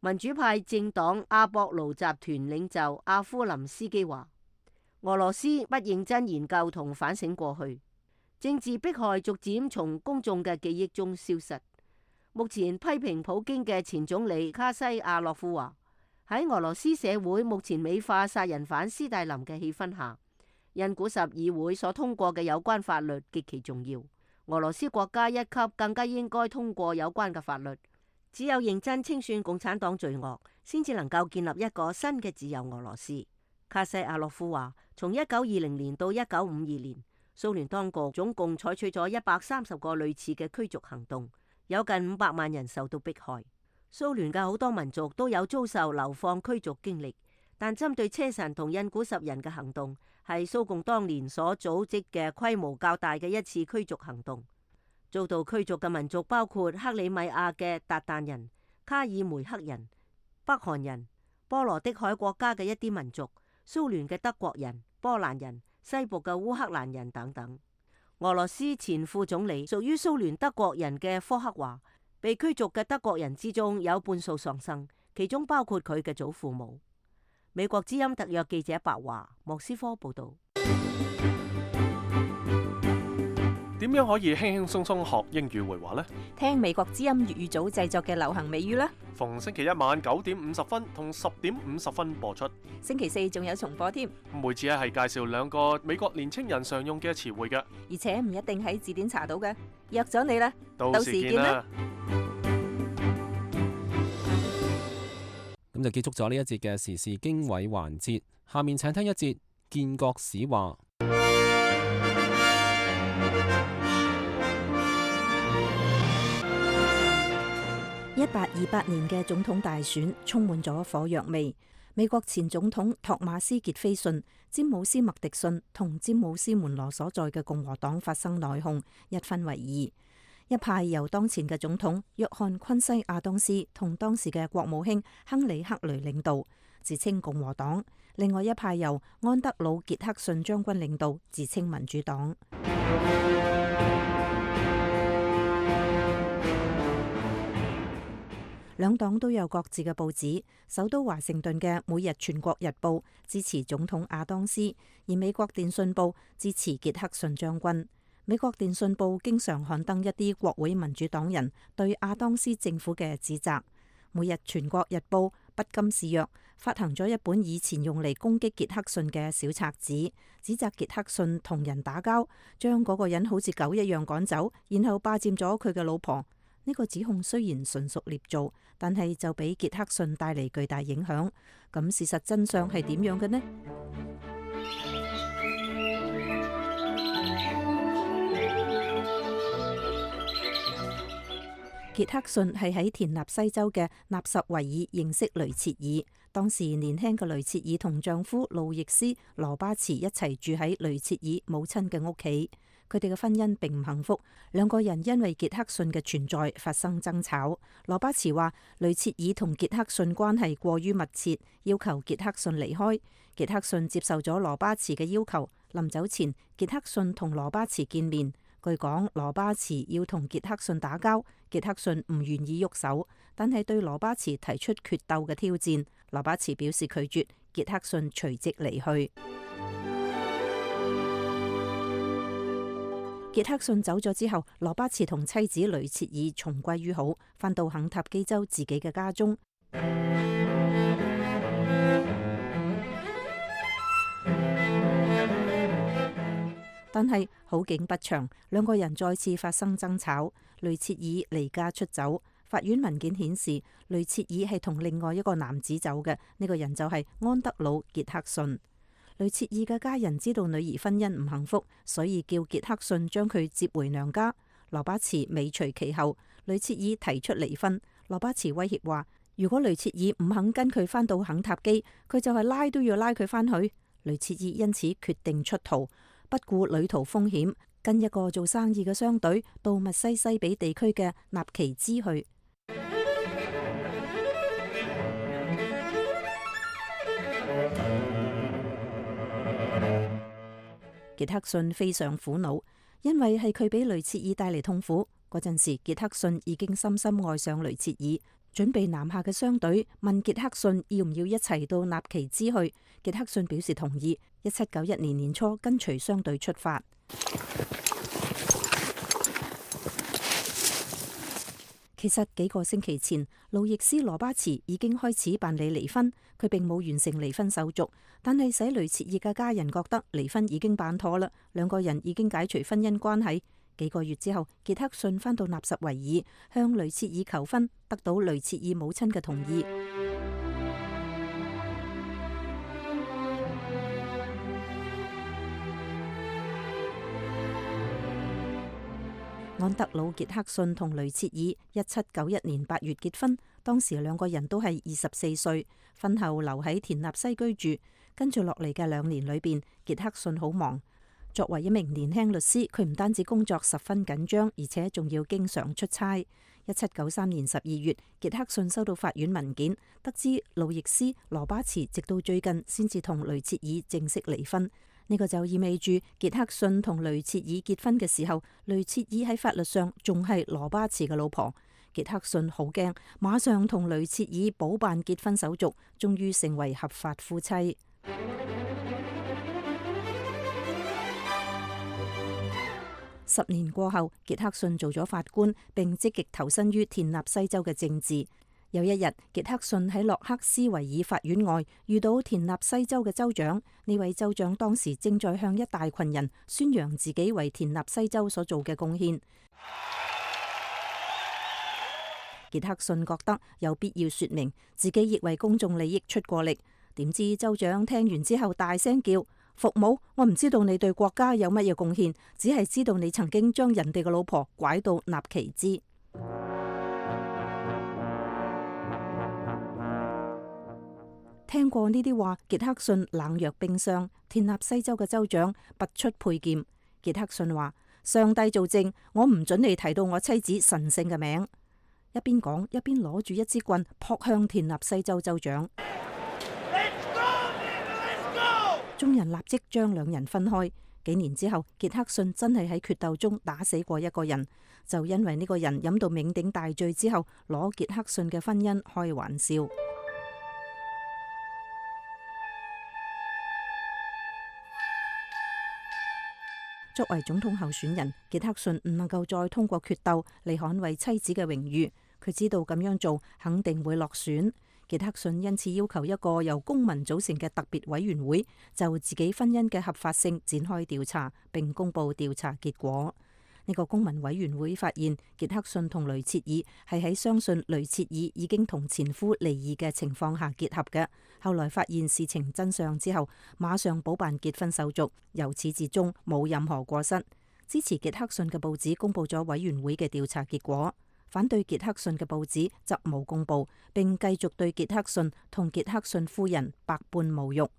民主派政黨阿博盧集團領袖阿夫林斯基話，俄羅斯不認真研究同反省過去，政治迫害逐漸從公眾嘅記憶中消失。目前批評普京嘅前總理卡西亞洛夫話，喺俄羅斯社會目前美化殺人犯斯大林嘅氣氛下，印古什議會所通過嘅有關法律極其重要，俄羅斯國家一級更加應該通過有關嘅法律。只有認真清算共產黨罪惡，先至能夠建立一個新嘅自由俄羅斯。卡西亞洛夫話，從一九二零年到一九五二年，蘇聯當局總共採取咗一百三十個類似嘅驅逐行動，有近五百萬人受到迫害。蘇聯嘅好多民族都有遭受流放驅逐經歷。但針對車臣同印古什人嘅行動，係蘇共當年所組織嘅規模較大嘅一次驅逐行動。遭到驅逐嘅民族包括克里米亞嘅韃靼人、卡爾梅克人、北韓人、波羅的海國家嘅一啲民族、蘇聯嘅德國人、波蘭人、西部嘅烏克蘭人等等。俄羅斯前副總理屬於蘇聯德國人嘅科克話，被驅逐嘅德國人之中有半數喪生，其中包括佢嘅祖父母。美國之音特約記者白華，莫斯科報道。點樣可以輕輕鬆鬆學英語會話呢？聽美國之音粵語組製作嘅流行美語啦。逢星期一晚九點五十分同十點五十分播出。星期四仲有重播添。每次咧係介紹兩個美國年青人常用嘅詞彙嘅，而且唔一定喺字典查到嘅。約咗你啦，到時見啦。咁就結束咗呢一節嘅時事經緯環節，下面請聽一節建國史話。一八二八年嘅總統大選充滿咗火藥味。美國前總統托馬斯傑菲遜、詹姆斯麥迪遜同詹姆斯門羅所在嘅共和黨發生內訌，一分為二。一派由當前嘅總統約翰昆西亞當斯同當時嘅國務卿亨利克雷領導，自稱共和黨；另外一派由安德魯傑克遜將軍領導，自稱民主黨。兩黨都有各自嘅報紙。首都華盛頓嘅《每日全國日報》支持總統亞當斯，而美國電訊報支持傑克遜將軍。美國電訊報經常刊登一啲國會民主黨人對亞當斯政府嘅指責。《每日全國日報》不甘示弱，發行咗一本以前用嚟攻擊傑克遜嘅小冊子，指責傑克遜同人打交，將嗰個人好似狗一樣趕走，然後霸佔咗佢嘅老婆。呢個指控雖然純屬捏造，但係就俾傑克遜帶嚟巨大影響。咁事實真相係點樣嘅呢？傑克遜係喺田納西州嘅納什維爾認識雷切爾。當時年輕嘅雷切爾同丈夫路易斯羅巴茨一齊住喺雷切爾母親嘅屋企。佢哋嘅婚姻並唔幸福，兩個人因為傑克遜嘅存在發生爭吵。羅巴茨話雷切爾同傑克遜關係過於密切，要求傑克遜離開。傑克遜接受咗羅巴茨嘅要求。臨走前，傑克遜同羅巴茨見面。據講，羅巴茨要同傑克遜打交，傑克遜唔願意喐手，但係對羅巴茨提出決鬥嘅挑戰。羅巴茨表示拒絕，傑克遜隨即離去。傑克遜走咗之後，羅巴茨同妻子雷切爾重歸於好，返到肯塔基州自己嘅家中。但係好景不長，兩個人再次發生爭吵，雷切爾離家出走。法院文件顯示，雷切爾係同另外一個男子走嘅，呢、這個人就係安德魯·傑克遜。雷切爾嘅家人知道女兒婚姻唔幸福，所以叫傑克遜將佢接回娘家。羅巴茨尾隨其後，雷切爾提出離婚。羅巴茨威脅話，如果雷切爾唔肯跟佢返到肯塔基，佢就係拉都要拉佢返去。雷切爾因此決定出逃。不顧旅途風險，跟一個做生意嘅商隊到密西西比地區嘅納奇茲去。傑克遜非常苦惱，因為係佢俾雷切爾帶嚟痛苦。嗰陣時，傑克遜已經深深愛上雷切爾，準備南下嘅商隊問傑克遜要唔要一齊到納奇茲去。傑克遜表示同意。一七九一年年初，跟隨商隊出發。其實幾個星期前，路易斯羅巴茨已經開始辦理離婚，佢並冇完成離婚手續，但係使雷切爾嘅家人覺得離婚已經辦妥啦，兩個人已經解除婚姻關係。幾個月之後，傑克遜返到納什維爾，向雷切爾求婚，得到雷切爾母親嘅同意。安德魯·傑克遜同雷切爾一七九一年八月結婚，當時兩個人都係二十四歲。婚後留喺田納西居住，跟住落嚟嘅兩年裏邊，傑克遜好忙。作為一名年輕律師，佢唔單止工作十分緊張，而且仲要經常出差。一七九三年十二月，傑克遜收到法院文件，得知路易斯·羅巴茨直到最近先至同雷切爾正式離婚。呢個就意味住傑克遜同雷切爾結婚嘅時候，雷切爾喺法律上仲係羅巴茨嘅老婆。傑克遜好驚，馬上同雷切爾補辦結婚手續，終於成為合法夫妻。十年過後，傑克遜做咗法官，並積極投身於田納西州嘅政治。有一日，傑克遜喺洛克斯維爾法院外遇到田納西州嘅州長。呢位州長當時正在向一大群人宣揚自己為田納西州所做嘅貢獻。傑克遜覺得有必要說明自己亦為公眾利益出過力。點知州長聽完之後大聲叫：服務！我唔知道你對國家有乜嘢貢獻，只係知道你曾經將人哋嘅老婆拐到納奇茲。聽過呢啲話，傑克遜冷若冰霜。田納西州嘅州長拔出佩劍。傑克遜話：上帝做證，我唔准你提到我妻子神聖嘅名。一邊講一邊攞住一支棍撲向田納西州州長。Let's go, Let's go! 眾人立即將兩人分開。幾年之後，傑克遜真係喺決鬥中打死過一個人，就因為呢個人飲到酩酊大醉之後，攞傑克遜嘅婚姻開玩笑。作為總統候選人，傑克遜唔能夠再通過決鬥嚟捍衛妻子嘅榮譽。佢知道咁樣做肯定會落選。傑克遜因此要求一個由公民組成嘅特別委員會就自己婚姻嘅合法性展開調查，並公佈調查結果。呢個公民委員會發現，傑克遜同雷切爾係喺相信雷切爾已經同前夫離異嘅情況下結合嘅。後來發現事情真相之後，馬上補辦結婚手續，由始至終冇任何過失。支持傑克遜嘅報紙公佈咗委員會嘅調查結果。反對傑克遜嘅報紙則冇公佈，並繼續對傑克遜同傑克遜夫人百般侮辱。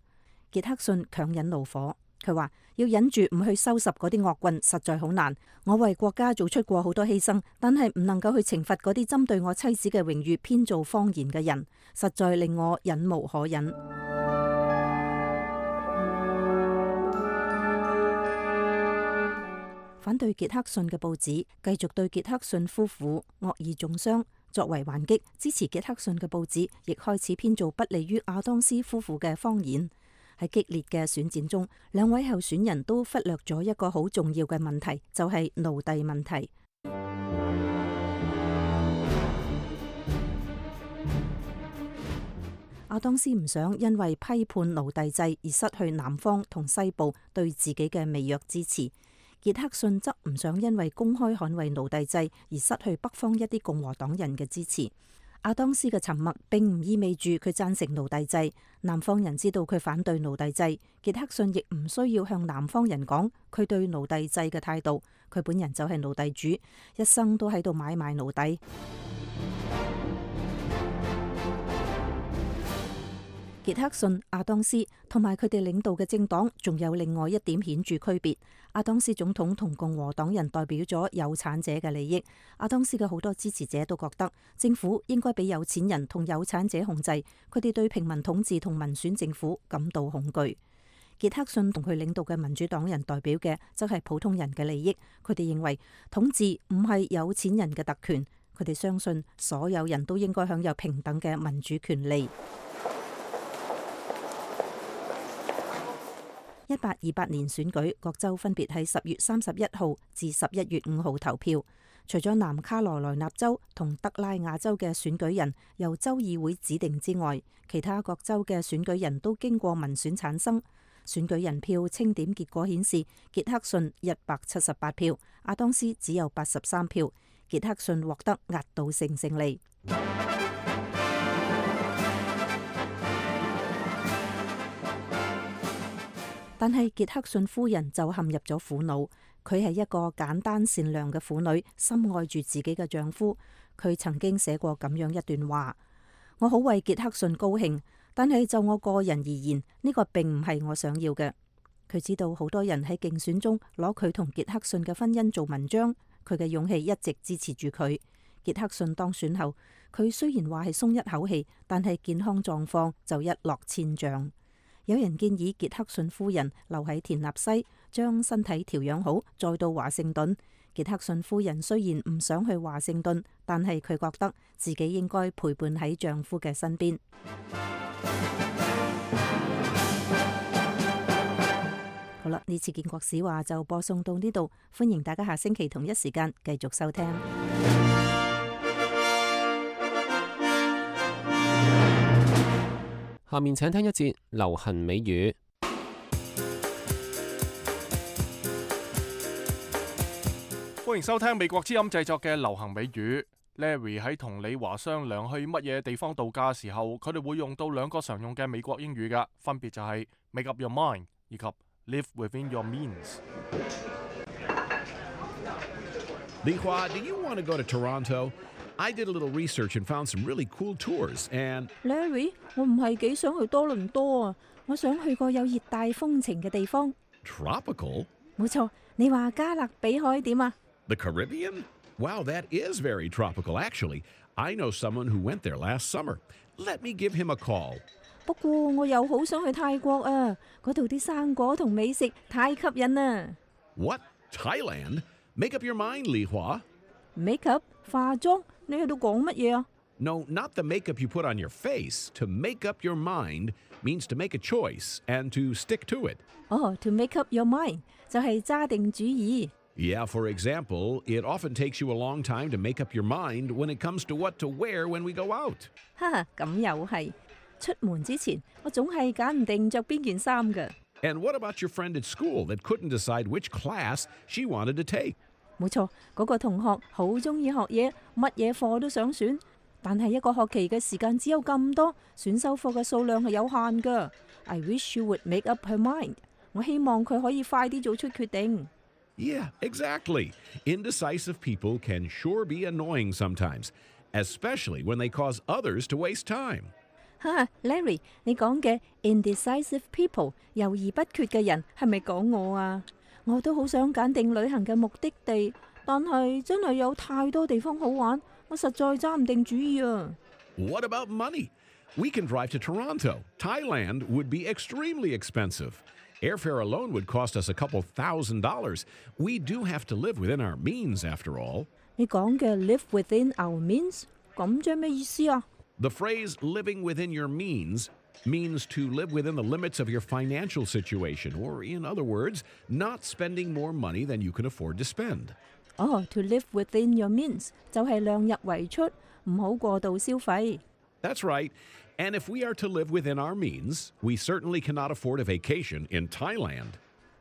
傑克遜強忍怒火，佢話要忍住唔去收拾嗰啲惡棍實在好難。我為國家做出過好多犧牲，但係唔能夠去懲罰嗰啲針對我妻子嘅榮譽編造謊言嘅人，實在令我忍無可忍。反對傑克遜嘅報紙繼續對傑克遜夫婦惡意中傷。作為還擊，支持傑克遜嘅報紙亦開始編造不利於亞當斯夫婦嘅謊言。喺激烈嘅選戰中，兩位候選人都忽略咗一個好重要嘅問題，就係奴隸問題。亞當斯唔想因為批判奴隸制而失去南方同西部對自己嘅微弱支持。傑克遜則唔想因為公開捍衛奴隸制而失去北方一啲共和黨人嘅支持。亞當斯嘅沉默並唔意味住佢贊成奴隸制，南方人知道佢反對奴隸制。傑克遜亦唔需要向南方人講佢對奴隸制嘅態度，佢本人就係奴隸主，一生都喺度買賣奴隸。傑克遜、亞當斯同埋佢哋領導嘅政黨仲有另外一點顯著區別。亞當斯總統同共和黨人代表咗有產者嘅利益。亞當斯嘅好多支持者都覺得政府應該俾有錢人同有產者控制，佢哋對平民統治同民選政府感到恐懼。傑克遜同佢領導嘅民主黨人代表嘅則係普通人嘅利益。佢哋認為統治唔係有錢人嘅特權，佢哋相信所有人都應該享有平等嘅民主權利。一八二八年選舉，各州分別喺十月三十一號至十一月五號投票。除咗南卡羅來納州同德拉瓦州嘅選舉人由州議會指定之外，其他各州嘅選舉人都經過民選產生。選舉人票清點結果顯示，傑克遜一百七十八票，亞當斯只有八十三票，傑克遜獲得壓倒性勝利。但係傑克遜夫人就陷入咗苦惱。佢係一個簡單善良嘅婦女，深愛住自己嘅丈夫。佢曾經寫過咁樣一段話：我好為傑克遜高興，但係就我個人而言，呢個並唔係我想要嘅。佢知道好多人喺競選中攞佢同傑克遜嘅婚姻做文章，佢嘅勇氣一直支持住佢。傑克遜當選後，佢雖然話係鬆一口氣，但係健康狀況就一落千丈。有人建議傑克遜夫人留喺田納西，將身體調養好，再到華盛頓。傑克遜夫人雖然唔想去華盛頓，但係佢覺得自己應該陪伴喺丈夫嘅身邊。好啦，呢次建國史話就播送到呢度，歡迎大家下星期同一時間繼續收聽。下面請聽一節流行美語。歡迎收聽美國之音製作嘅流行美語。Larry 喺同李華商量去乜嘢地方度假嘅時候，佢哋會用到兩個常用嘅美國英語㗎，分別就係 make up your mind 以及 live within your means。李華 do you want to go to Toronto?I did a little research and found some really cool tours and Larry 我唔係幾想去多倫多啊，我想去個有熱帶風情嘅地方。 Tropical? 冇錯，你話加勒比海點啊？ The Caribbean? Wow, that is very tropical actually. I know someone who went there last summer. Let me give him a call. 不過我又好想去泰國啊，嗰度啲生果同美食太吸引啦。What? Thailand? Make up your mind, Li Hua. Make up 化妝，你喺度講乜嘢啊？ No, not the makeup you put on your face. To make up your mind means to make a choice and to stick to it. 哦、oh, to make up your mind 就係揸定主意。Yeah, for example, it often takes you a long time to make up your mind when it comes to what to wear when we go out. 哈哈，咁又係。出門之前，我總係揀唔定着邊件衫㗎。And what about your friend at school that couldn't decide which class she wanted to take? 冇錯，嗰個同學好中意學嘢，乜嘢課都想選。但係一個學期嘅時間只有咁多，選修課嘅數量係有限㗎。I wish you would make up her mind。我希望佢可以快啲做出決定。Yeah, exactly. Indecisive people can sure be annoying sometimes, especially when they cause others to waste time. 哈 Larry， 你講嘅 indecisive people 猶豫不決嘅人係咪講我啊？我都好想揀定旅行嘅目的地，但係真係有太多地方好玩，我實在揸唔定主意啊。What about money? We can drive to Toronto. Thailand would be extremely expensive. Airfare alone would cost us a couple thousand dollars. We do have to live within our means, after all. 你講嘅 live within our means， 咁即係咩意思啊？ The phrase living within your means means to live within the limits of your financial situation, or in other words, not spending more money than you can afford to spend. 哦、oh, to live within your means 就係量入為出，唔好過度消費。That's right. And if we are to live within our means, we certainly cannot afford a vacation in Thailand.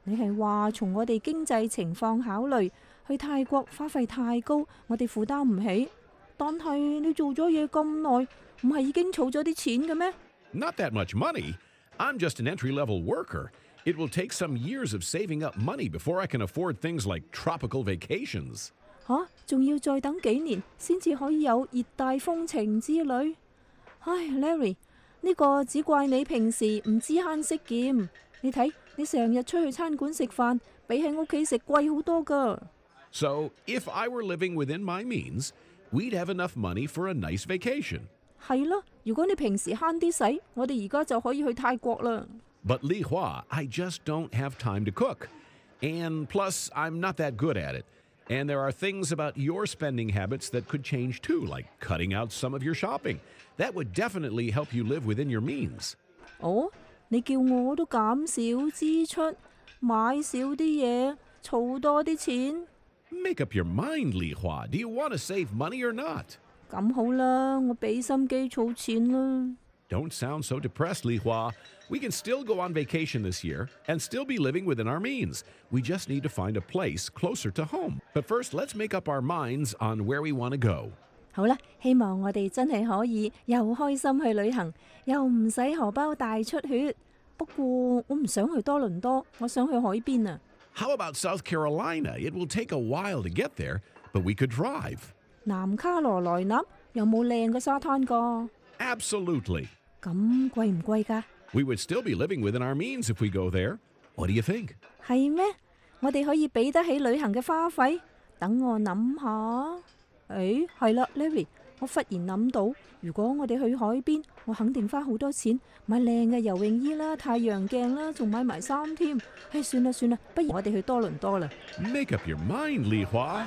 你係話從我哋經濟情況考慮，去泰國花費太高，我哋負擔唔起。但係你做咗嘢咁耐，唔係已經儲咗啲錢嘅咩？ Not that much money. I'm just an entry-level worker. It will take some years of saving up money before I can afford things like tropical vacations. 吓，仲要再等幾年先至可以有熱帶風情之旅。唉 ，Larry， 呢個只怪你平時唔知慳識儉。你睇，你成日出去餐館食飯，比喺屋企食貴好多㗎。So, if I were living within my means, we'd have enough money for a nice vacation. 係咯，如果你平時慳啲使，我哋而家就可以去泰國啦。But Li Hua, I just don't have time to cook. And plus, I'm not that good at it. And there are things about your spending habits that could change too, like cutting out some of your shopping. That would definitely help you live within your means. 哦，你叫我都減少支出，買少啲嘢，儲多啲錢。Make up your mind, Li Hua. Do you want to save money or not? 咁好啦，我俾心機儲錢啦。Don't sound so depressed, Li Hua. We can still go on vacation this year and still be living within our means. We just need to find a place closer to home. But first, let's make up our minds on where we want to go. 好啦，希望我哋真係可以又開心去旅行，又唔使荷包大出血。不過我唔想去多倫多，我想去海邊啊。How about South Carolina? It will take a while to get there, but we could drive. 南卡羅來納有冇靚嘅沙灘㗎？ Absolutely. 咁貴唔貴㗎？ We would still be living within our means if we go there. What do you think? 係咩？我哋可以俾得起旅行嘅花費？等我諗下。誒，係啦 ，Larry， 我忽然諗到，如果我哋去海邊，我肯定花好多錢買靚嘅游泳衣啦、太陽鏡啦，仲買埋衫添。唉，算啦算啦，不如我哋去多倫多啦。Make up your mind, Li Hua.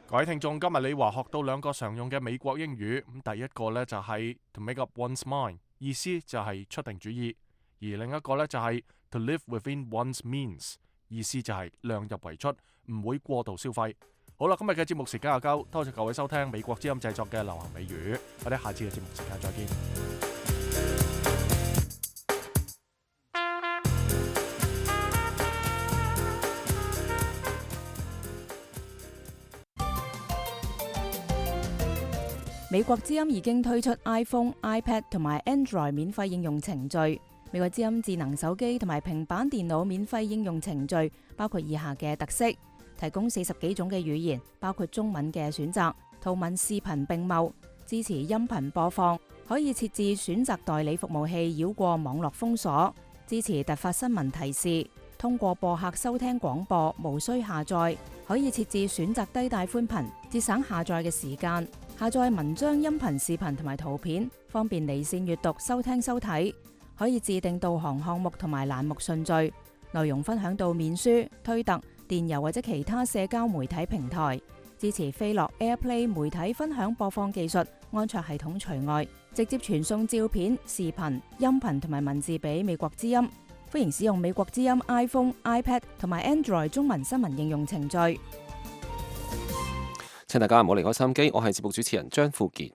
各位聽眾，今日李華學到兩個常用嘅美國英語，咁第一個呢就係 to make up one's mind， 意思就係出定主意；而另一個呢就係 to live within one's means， 意思就係量入為出，唔會過度消費。好啦，今日嘅節目時間又夠，多謝各位收聽美國之音製作嘅流行美語，我哋下次嘅節目時間再見。美國之音已經推出 iPhone、iPad 同埋 Android 免費應用程序。美國之音智能手機同埋平板電腦免費應用程序包括以下嘅特色：提供四十幾種嘅語言，包括中文嘅選擇，圖文視頻並茂，支持音頻播放，可以設置選擇代理服務器繞過網絡封鎖，支持突發新聞提示，通過播客收聽廣播，無需下載，可以設置選擇低帶寬頻，節省下載嘅時間。下載文章、音頻、視頻同埋圖片，方便離線閱讀、收聽、收睇。可以自定導航項目同埋欄目順序，內容分享到面書、推特、電郵或者其他社交媒體平台。支持飛樂 AirPlay 媒體分享播放技術，安卓系統除外，直接傳送照片、視頻、音頻同埋文字俾美國之音。歡迎使用美國之音 iPhone、iPad 同埋 Android 中文新聞應用程序。請大家唔好離開收音機，我係節目主持人張富傑。